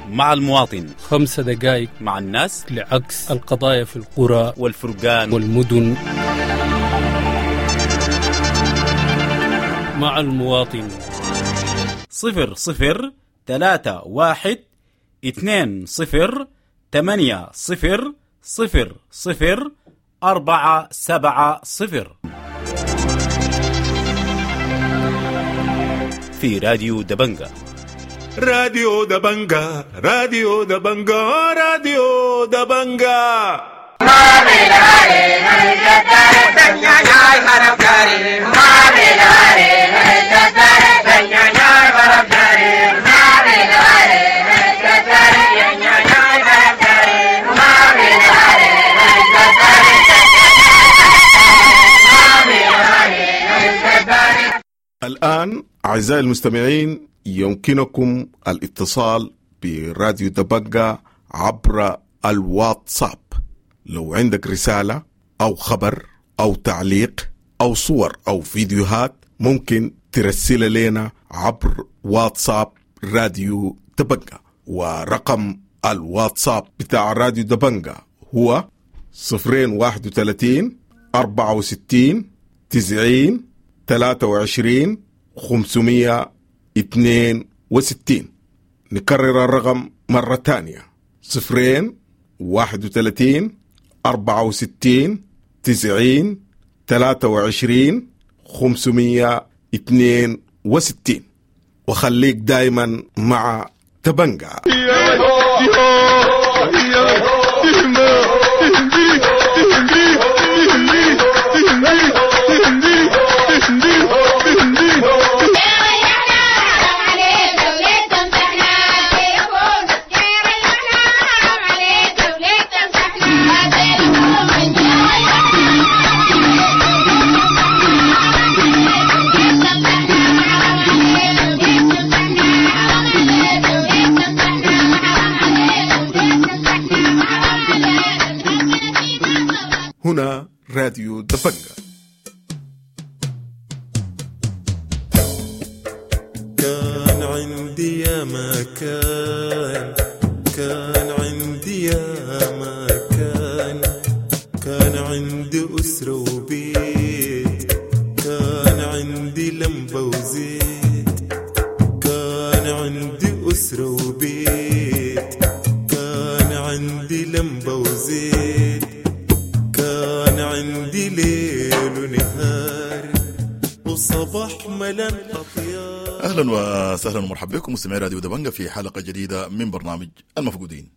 مع المواطن خمسة دقائق مع الناس لعكس القضايا في القرى والفرقان والمدن. مع المواطن صفر صفر ثلاثة واحد اثنين صفر ثمانية صفر صفر صفر أربعة سبعة صفر في راديو دبنجة. راديو دبنجة، راديو دبنجة، راديو دبنجة. الآن أعزائي المستمعين يمكنكم الاتصال براديو دبنجة عبر الواتساب. لو عندك رسالة أو خبر أو تعليق أو صور أو فيديوهات ممكن ترسل لنا عبر واتساب راديو دبنجة، ورقم الواتساب بتاع راديو دبنجة هو صفرين واحد وثلاثين أربعة وستين تسعين ثلاثة وعشرين خمسمية اثنين وستين. نكرر الرقم مرة تانية: صفرين واحد وثلاثين أربعة وستين تسعين ثلاثة وعشرين خمسمية اثنين وستين. وخليك دايما مع تبنجا. هنا راديو دبنجة. كان عندي يا ما كان، كان عندي يا ما كان، كان عندي أسرة وبيت، كان عندي لمبة وزيت، كان عندي أسرة وبيت، كان عندي لمبة وزيت، كان عندي ليل ونهار وصباح ملان أطيار. اهلا وسهلا ومرحبا بكم مستمعي راديو دبنجة في حلقة جديدة من برنامج المفقودين.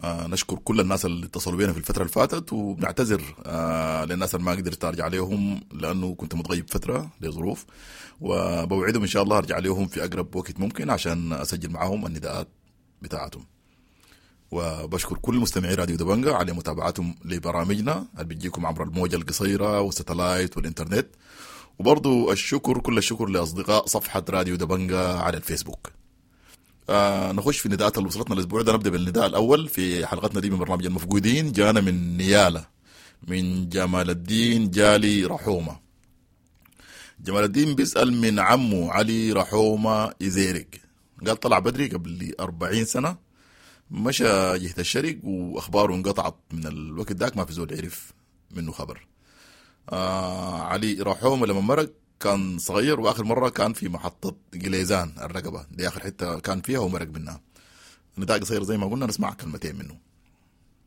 آه نشكر كل الناس اللي اتصلوا بينا في الفترة اللي فاتت، وبنعتذر آه للناس اللي ما قدرت ارجع عليهم لانه كنت متغيب فترة لظروف، وبوعدهم ان شاء الله ارجع عليهم في اقرب وقت ممكن عشان اسجل معاهم النداءات بتاعتهم. وبشكر كل مستمعي راديو دبنجة على متابعتهم لبرامجنا اللي بتجيكم عبر الموجة القصيرة والستلايت والإنترنت، وبرضو الشكر كل الشكر لأصدقاء صفحة راديو دبنجة على الفيسبوك. آه نخش في النداءات اللي وصلتنا الأسبوع ده. نبدأ بالنداء الأول في حلقتنا دي من برنامج المفقودين. جانا من نيالة من جمال الدين جالي رحومة. جمال الدين بيسأل من عمه علي رحومة إزيرق، قال طلع بدري قبل أربعين سنة، مشى جهة الشرق وأخباره انقطعت من الوقت داك، ما في زول عرف منه خبر. آه علي رحومة لما مرق كان صغير، وآخر مرة كان في محطة قليزان الرقبة دي آخر حتة كان فيها ومرق منها. نداء قصير زي ما قلنا، نسمع كلمتين منه.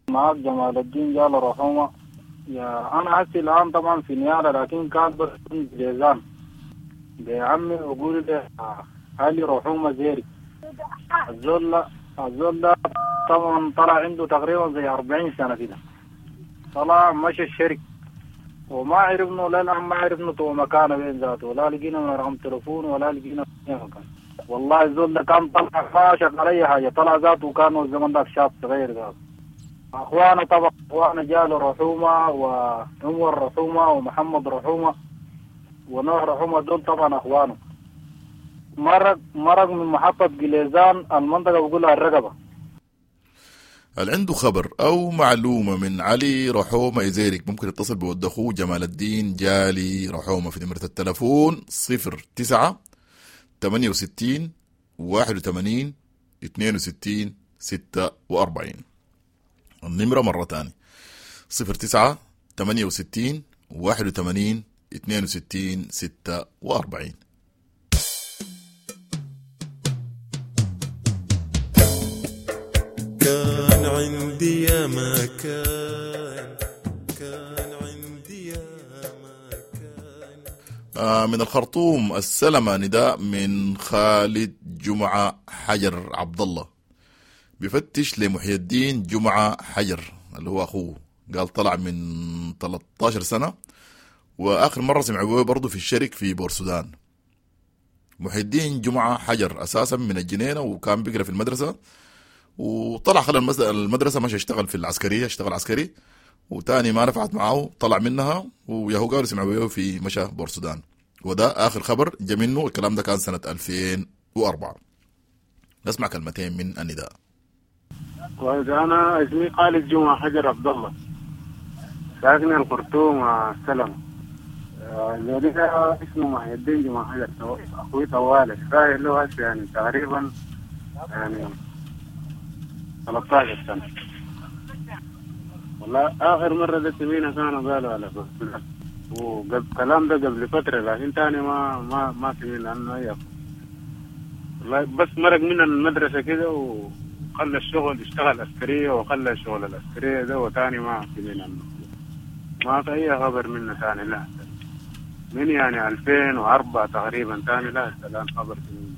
معك جمال الدين جال رحومة. يا أنا هسي الآن طبعا في نيالة، لكن كان بس قليزان بعمي وقول لي علي رحومة زيري. الزول الزول ده طبعا طلع عنده تقريبا زي أربعين سنة كده، طلع مشى الشرك وما عرفنا لا الآن ما عرفنا تو مكانه وين ذاته، ولا لقينا من رقم تليفون ولا لقينا مكان. والله الزول ده كان طلع ما شغال أي حاجة، طلع ذاته وكان الزمن ذاك شاب صغير ذاته. أخوانه طبعا أخوانه جاله رحومة وعمر رحومة ومحمد رحومة ونوح رحومة، دول طبعا أخوانه. مرق مرق من محطة قليزان المنطقة بقولها الرقبة. اللي عنده خبر أو معلومة من علي رحومة إزيرك ممكن يتصل بود أخوه جمال الدين جالي رحومة في نمرة التلفون صفر تسعة ثمانية وستين واحد وثمانين اثنين وستين ستة وأربعين. النمرة مرة تانية صفر تسعة ثمانية وستين واحد وثمانين اثنين وستين ستة وأربعين. كان عندي يا ما كان، كان عندي يا ما كان. آه من الخرطوم السلمة نداء من خالد جمعة حجر عبد الله، بفتش لمحي الدين جمعة حجر اللي هو أخوه، قال طلع من ثلاثة عشر سنة وآخر مرة سمعوا برضه في الشرك في بورسودان. محي الدين جمعة حجر أساسا من الجنينة وكان بيقرأ في المدرسة، وطلع خلى المدرسة مشى اشتغل في العسكرية، اشتغل عسكري وتاني ما نفعت معه طلع منها، وياهو قالوا سمعوا في مشى بورسودان، وده آخر خبر جا منه. الكلام ده كان سنة ألفين وأربعة. نسمع كلمتين من النداء. كويس، أنا اسمي خالد جمعة حجر عبد الله، ساكن الخرطوم السلام. الذي اسمه محي الدين جمعة حجر، أخوي طوالي رايح له هسه يعني تقريبا يعني ثلاثة عشر سنة. والله آخر مرة ده سمينا كانوا قالوا على بس، وقبل الكلام ده قبل فترة، لكن تاني ما ما ما سمينا عنه أي. والله بس مرق من المدرسة كده وخلى الشغل، اشتغل عسكرية وخلى الشغل العسكرية ده، وتاني ما سمينا عنه، ما في أي خبر منه تاني. لا من يعني ألفين وأربعة تقريبا تاني لا الآن خبر منه.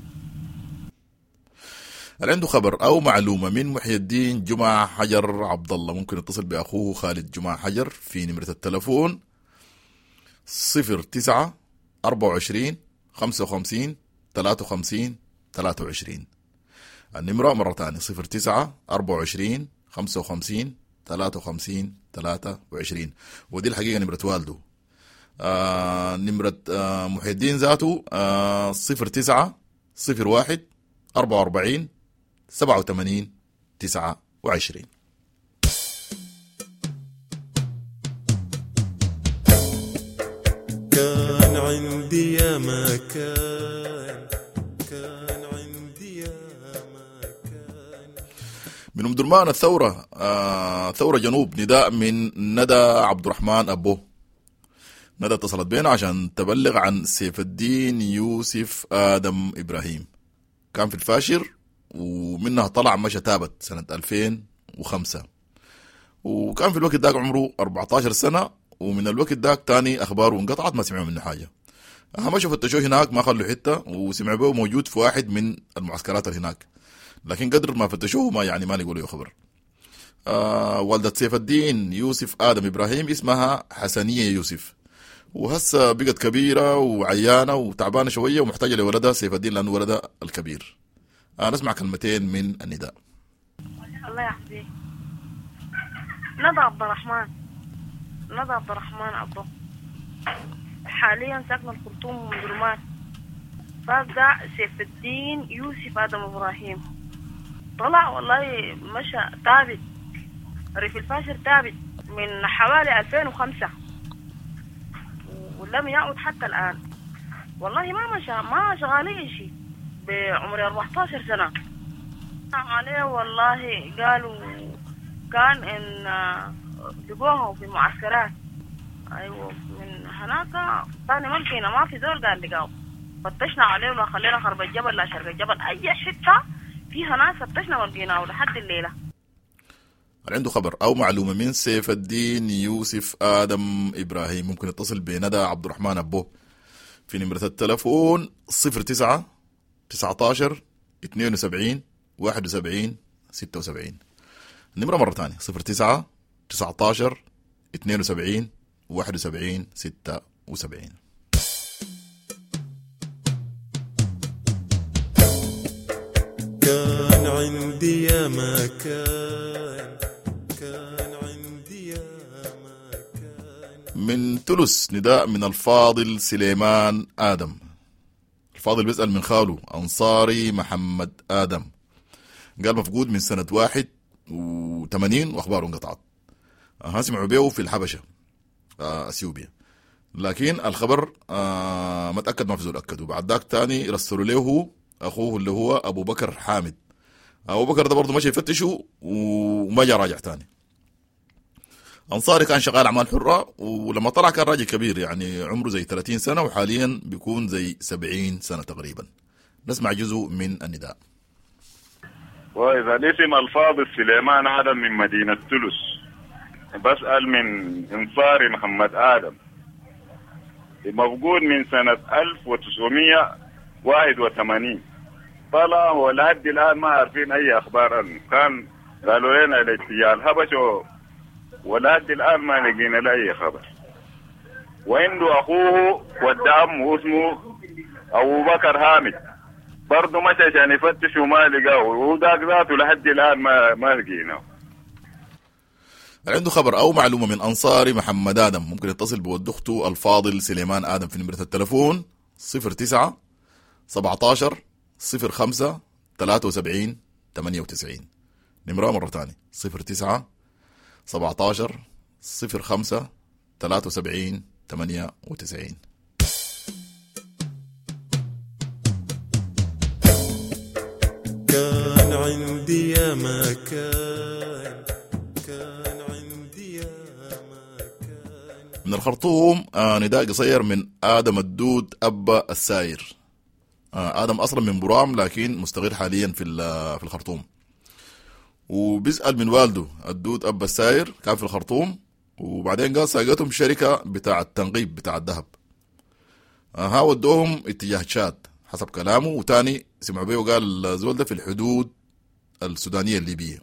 اللي عنده خبر أو معلومة من محي الدين جمعة حجر عبد الله ممكن يتصل بأخوه خالد جمعة حجر في نمرة التلفون صفر تسعة أربعة وعشرين خمسة وخمسين ثلاثة وخمسين ثلاثة وعشرين. النمرة مرة تانية صفر تسعة أربعة وعشرين خمسة وخمسين ثلاثة وخمسين ثلاثة وعشرين، ودي الحقيقة نمرة والده. آه نمرة آه محي الدين ذاته آه صفر تسعة صفر واحد أربعة وأربعين سبعة وثمانين تسعة وعشرين. كان عندي يا ما كان كان عندي يا ما كان. من أم درمان الثورة، آه ثورة جنوب، نداء من ندى عبد الرحمن أبو. ندى اتصلت بينا عشان تبلغ عن سيف الدين يوسف آدم إبراهيم، كان في الفاشر ومنها طلع مشى تابت سنة ألفين وخمسة، وكان في الوقت داك عمره أربعتاشر سنة، ومن الوقت داك تاني أخباره انقطعت ما سمعوا منه حاجة. أهم شيء فتشوه هناك ما خلوا حتة، وسمعوا به موجود في واحد من المعسكرات اللي هناك، لكن قدر ما فتشوه ما يعني ما لقوا له خبر. آه والدة سيف الدين يوسف آدم إبراهيم اسمها حسنية يوسف، وهسه بقت كبيرة وعيانة وتعبانة شوية ومحتاجة لولدها سيف الدين لأنه ولدها الكبير. آه نسمع كلمتين من النداء. الله يحفظك. ندى عبد الرحمن، ندى عبد الرحمن أبو، حاليا ساكنة الخرطوم من درمان. فابدأ سيف الدين يوسف آدم إبراهيم طلع والله مشى تابت ريف الفاشر، تابت من حوالي ألفين وخمسة ولم يعد حتى الآن. والله ما مشى، ما شغالين شيء بعمر أربعتاشر سنة عليه. والله قالوا كان إن لقوه في معسكرات، أيوة من هناك ثاني ما لقينا، ما في زول قال لقاه. فتشنا عليه ولا خلينا خرب الجبل لا شرق الجبل، أي حتة فيها ناس فتشنا ما لقيناه لحد الليلة. اللي عنده خبر أو معلومة من سيف الدين يوسف آدم إبراهيم ممكن يتصل بندى عبد الرحمن أبو في نمرة التلفون صفر تسعة تسعتاشر اثنين وسبعين واحد وسبعين ستة وسبعين. النمرة مرة تانية صفر تسعة تسعتاشر اثنين وسبعين واحد وسبعين ستة وسبعين. كان عندي يا ما كان، كان عندي يا ما كان. من تلس نداء من الفاضل سليمان آدم. الفاضل بيسأل من خاله أنصاري محمد آدم، قال مفقود من سنة واحد وثمانين وأخباره انقطعت. ها سمعوا بيه في الحبشة أثيوبيا، لكن الخبر آه ما تأكد، ما في زول أكده. بعد ذاك تاني رسلوا له أخوه اللي هو أبو بكر حامد. أبو بكر ده برضه مشى يفتشه وما جا راجع تاني. أنصاري كان شغال أعمال حرة، ولما طلع كان راجل كبير، يعني عمره زي ثلاثين سنة، وحاليا بيكون زي سبعين سنة تقريبا. نسمع جزء من النداء. وإذا الاسم الفاضل سليمان آدم من مدينة تلس، بسأل من أنصاري محمد آدم، مفقود من سنة ألف وتسعمية واحد وثمانين، طلع ولحد الآن ما عارفين أي أخبار عنه. كان قالوا لنا الاتجاه الحبش، ولحد الآن ما لقينا له أي خبر. وعنده أخوه ود عمه اسمه أبو بكر هامد، برضه مشى عشان يفتش وما لقاه، وذاك ذاته لحد الآن ما ما لقيناه. عنده خبر أو معلومة من أنصاري محمد آدم ممكن يتصل بود أخته الفاضل سليمان آدم في نمرة التلفون صفر تسعة سبعتاشر صفر خمسة ثلاثة وسبعين ثمانية وتسعين. نمرة مرة تانية صفر تسعة سبعتاشر صفر خمسة ثلاثة وسبعين ثمانية وتسعين. كان عندي يا ما كان، كان عندي يا ما كان. من الخرطوم آه نداء قصير من آدم الدود أبا الساير. آه آدم أصلا من برام لكن مستقر حاليا في في الخرطوم، وبيسأل من والده الدود أبا الساير، كان في الخرطوم، وبعدين قال ساقتهم شركة بتاع التنقيب بتاع الذهب. ها ودوهم اتجاه تشاد حسب كلامه، وتاني سمعوا بيه وقال الزول ده في الحدود السودانية الليبية.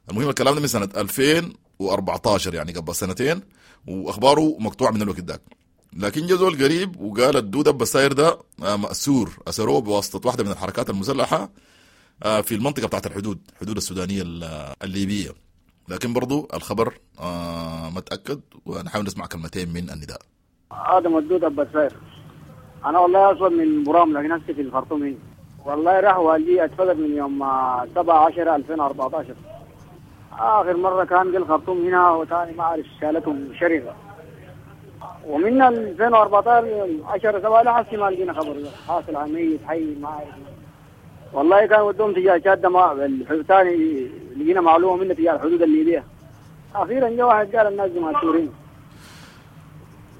المهم الكلام ده من سنة ألفين وأربعتاشر، يعني قبل سنتين، وأخباره مقطوعة من الوقت داك. لكن جا زول قريب وقال الدود أبا الساير ده مأسور، أسروه بواسطة واحدة من الحركات المسلحة في المنطقة بتاعت الحدود، حدود السودانية الليبية. لكن برضو الخبر ما تأكد، ونحاول نسمع كلمتين من النداء. آدم الدود أبا الساير، أنا والله أصلا من برام لكن هسه في الخرطوم هنا. والله راح والدي اتفقد من يوم سبعة عشر ألفين وأربعة عشر، آخر مرة كان في الخرطوم هنا، وثاني ما أعرف شالتهم شركة. ومن ألفين وأربعتاشر عشرة سبعة لحد ما لقينا خبر حاصل على ميت حي ما عارف. والله كان ودهم تجاه شاد ما ثاني لقينا معلومة منه تجاه الحدود الليبية. اخيرا جاء واحد قال الناس دي مأسورين.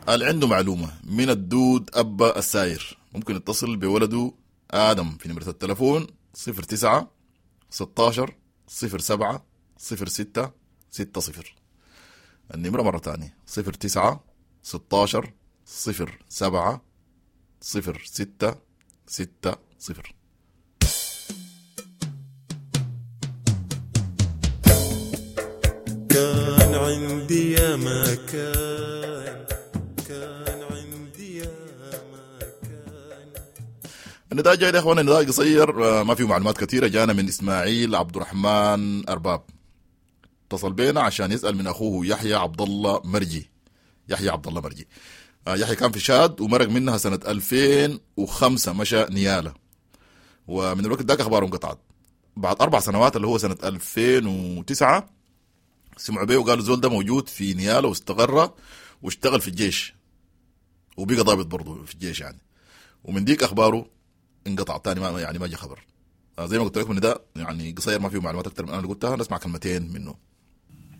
قال عنده معلومة من الدود ابا الساير، ممكن يتصل بولده ادم في نمره التلفون صفر تسعة ستاشر صفر سبعة صفر ستة ستة صفر. النمرة مرة تانية صفر تسعة ستاشر صفر سبعة صفر ستة ستة صفر. كان عندي يا ما كان، كان عندي يا ما كان. النداء جاي يا اخوانا، النداء قصير ما فيه معلومات كثيرة، جانا من اسماعيل عبد الرحمن أرباب. اتصل بينا عشان يسأل من اخوه يحيى عبد الله مرجي. يحيى عبد الله مرجي، يحيى كان في شاد ومرق منها سنة ألفين وخمسة، مشى نيالة، ومن الوقت ذاك اخباره انقطعت. بعد اربع سنوات اللي هو سنة ألفين وتسعة سمعوا بيه وقالوا زول ده موجود في نيالة واستقر واشتغل في الجيش وبقى ضابط برضه في الجيش يعني، ومن ديك اخباره انقطع تاني، ما يعني ما جا خبر. زي ما قلت لكم ان ده يعني قصير ما فيه معلومات اكثر من انا اللي قلتها، نسمع كلمتين منه.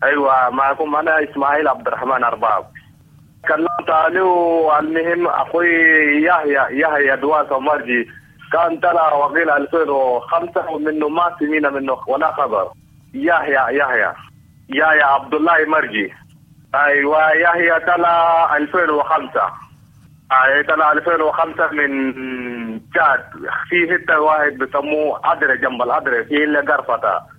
ايوه معكم انا اسماعيل عبد الرحمن ارباب. كلمت عليه المهم اخوي يحيى يحيى دواسه مرجي كان طلع وقيل ألفين وخمسة ومنه ما سمينا منه ولا خبر. يحيى يحيى يحيى عبد الله مرجي. ايوه يحيى طلع ألفين وخمسة. اي طلع ألفين وخمسة من تشاد في حتة واحد بسموه عدرة جنب العدرة في اللي قرفته.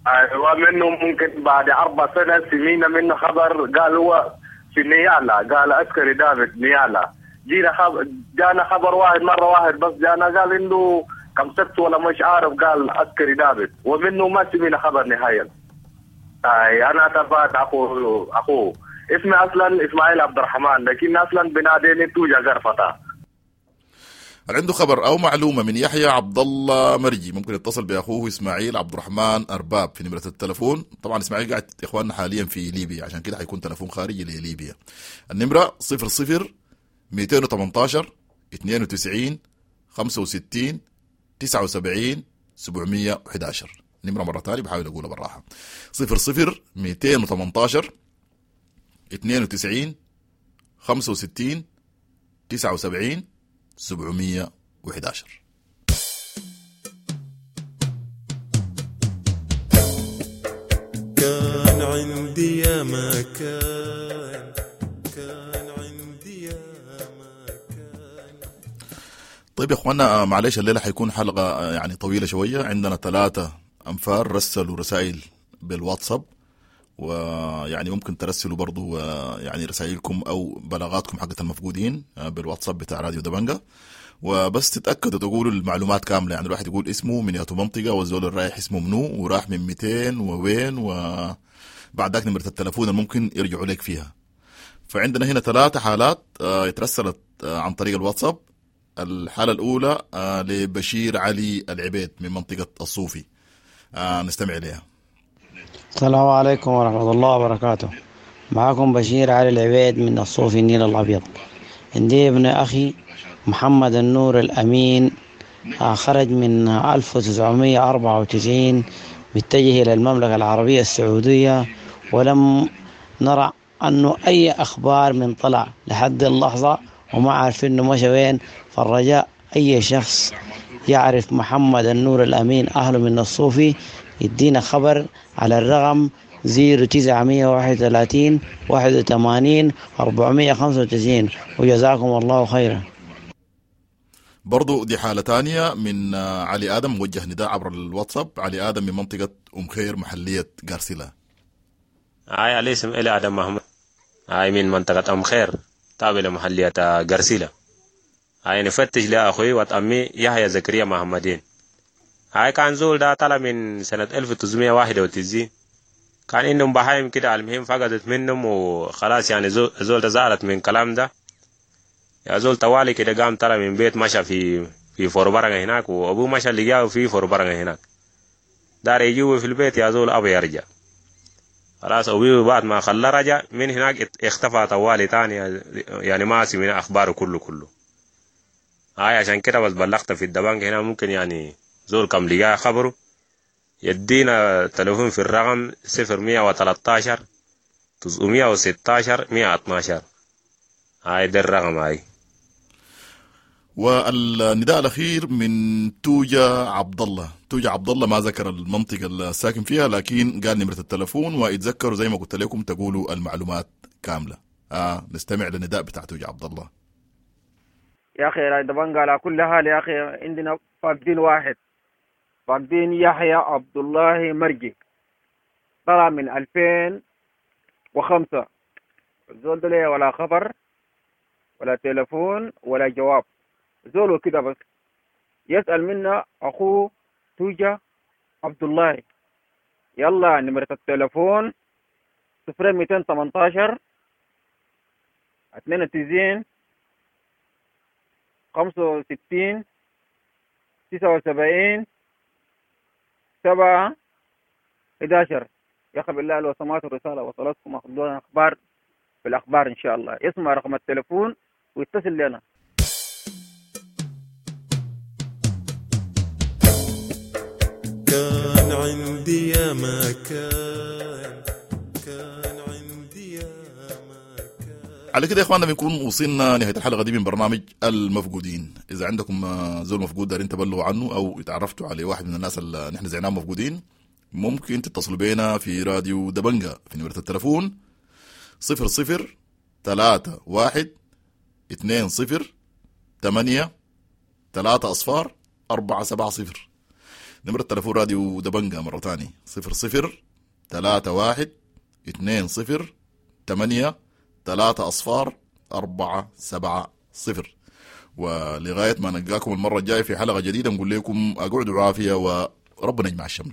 ايوه منه ممكن بعد اربع سنة سمينا منه خبر، قال هو في نيالا، قال عسكري دافد نيالا. جينا خبر، جانا خبر واحد مرة واحد بس جانا قال انه كم سبت ولا مش عارف، قال عسكري دافد، ومنه ما سمينا خبر نهائيا. اي انا تبعت اخوه اخوه اسمي اصلا اسماعيل عبد الرحمن، لكن اصلا بناديني توجا قرفته. هل عنده خبر او معلومة من يحيى عبد الله مرجي ممكن يتصل باخوه اسماعيل عبد الرحمن ارباب في نمره التلفون. طبعا اسماعيل قاعد يا اخواننا حاليا في ليبيا، عشان كده حيكون تلفون خارجي لليبيا. النمرة صفر صفر مئتين وثمانتاشر اثنين وتسعين خمسة وستين تسعة وسبعين سبعمية وحداشر. نمره مرة ثانية بحاول اقولها بالراحة، صفر صفر مئتين وثمانتاشر اثنين وتسعين خمسة وستين تسعة وسبعين سبعمية وحداشر. كان عندي يا ما كان، كان عندي يا ما كان. طيب يا اخوانا معلش الليلة حيكون حلقة يعني طويلة شوية. عندنا ثلاثة أنفار رسلوا رسائل بالواتساب، ويعني ممكن ترسلوا برضو يعني رسائلكم أو بلاغاتكم حقت المفقودين بالواتساب بتاع راديو دبنجة، وبس تتأكدوا تقولوا المعلومات كاملة، يعني الواحد يقول اسمه من ياتو منطقة والزول الرايح اسمه منو وراح من مئتين ووين، وبعد ذاك نمرة التلفون الممكن يرجعوا لك فيها. فعندنا هنا ثلاثة حالات اترسلت عن طريق الواتساب. الحالة الأولى لبشير علي العبيد من منطقة الصوفي، نستمع إليها. السلام عليكم ورحمة الله وبركاته. معكم بشير علي العبيد من الصوفي النيل الأبيض. عندي ابن أخي محمد النور الأمين، خرج من ألف وتسعمية وأربعة وتسعين متجه إلى المملكة العربية السعودية، ولم نرى أنه أي أخبار من طلع لحد اللحظة، وما عارفين أنه مشى وين. فالرجاء أي شخص يعرف محمد النور الأمين أهله من الصوفي يدينا خبر على الرقم زيرو تسعة واحد وثلاثين واحد وثمانين أربعمية خمسة وتسعين، وجزاكم الله خيرا. برضو دي حالة تانية من علي آدم، موجه نداء عبر الواتساب. علي آدم من منطقة أم خير محلية غارسيلا. هاي علي اسم إلي آدم محمد، هاي من منطقة أم خير تابع لمحلية غارسيلا. هاي نفتش لأخوي وأمي يحيى زكريا محمدين. هاي كان زول ده طلع من سنة ألف وتسعمية وواحد وتسعين، كان إنهم بهايم كده، المهم فقدت منهم وخلاص يعني زول ده زعلت من كلام ده يا زول طوالي كده، قام طلع من بيت مشى في في فوربرنة هناك، وأبوه مشى لقاه في فوربرنة هناك، دار يجيبه في البيت يا زول أبو يرجع. خلاص أبوي بعد ما خلاه رجع من هناك اختفى طوالي تاني، يعني ما سمعنا أخباره كله كله. هاي عشان كده بس بلغت في الدبنج هنا، ممكن يعني زول كم لقاه خبره يدينا تلفون في الرقم صفر مية وتلتاشر تسعمية وستاشر مية اتناشر. هاي ده الرقم هاي. والنداء الأخير من توجا عبد الله. توجا عبد الله ما ذكر المنطقة الساكن فيها، لكن قال نمرة التلفون، واتذكروا زي ما قلت لكم تقولوا المعلومات كاملة. آه نستمع للنداء بتاع توجا عبد الله. يا أخي راديو دبنجا على كل حال يا أخي عندنا فاقدين واحد، فاقدين يحيى عبد الله مرجي، طلع من ألفين وخمسة، الزول ده ليه ولا خبر ولا تلفون ولا جواب، زوله كده بس. يسأل منا أخوه توجا عبد الله. يلا نمرة التلفون صفر ميتين تمنتاشر اتنين وتسعين خمسة وستين تسعة وسبعين سبعة إحداشر. يا أخي بالله لو سمعت الرسالة وصلتكم أخذونا أخبار بالأخبار إن شاء الله. اسمع رقم التلفون ويتصل لنا. كان عندي يا ما كان، كان عندي يا ما كان. على كده يا اخواننا بنكون وصلنا نهاية الحلقة دي من برنامج المفقودين. اذا عندكم زول مفقود دارين تبلغوا عنه او اتعرفتوا على واحد من الناس اللي نحن زعناهم مفقودين، ممكن تتصلوا بينا في راديو دبنجا في نمره التلفون صفر صفر ثلاثة واحد اثنين صفر ثمانية ثلاثة أصفار أربعة سبعة صفر. نمرة تلفون راديو دبنجا مرة تاني صفر صفر ثلاثة واحد اثنين صفر ثمانية ثلاثة أصفار أربعة سبعة صفر. ولغاية ما نلقاكم المرة الجاية في حلقة جديدة نقول لكم أقعدوا عافية وربنا يجمع الشمل.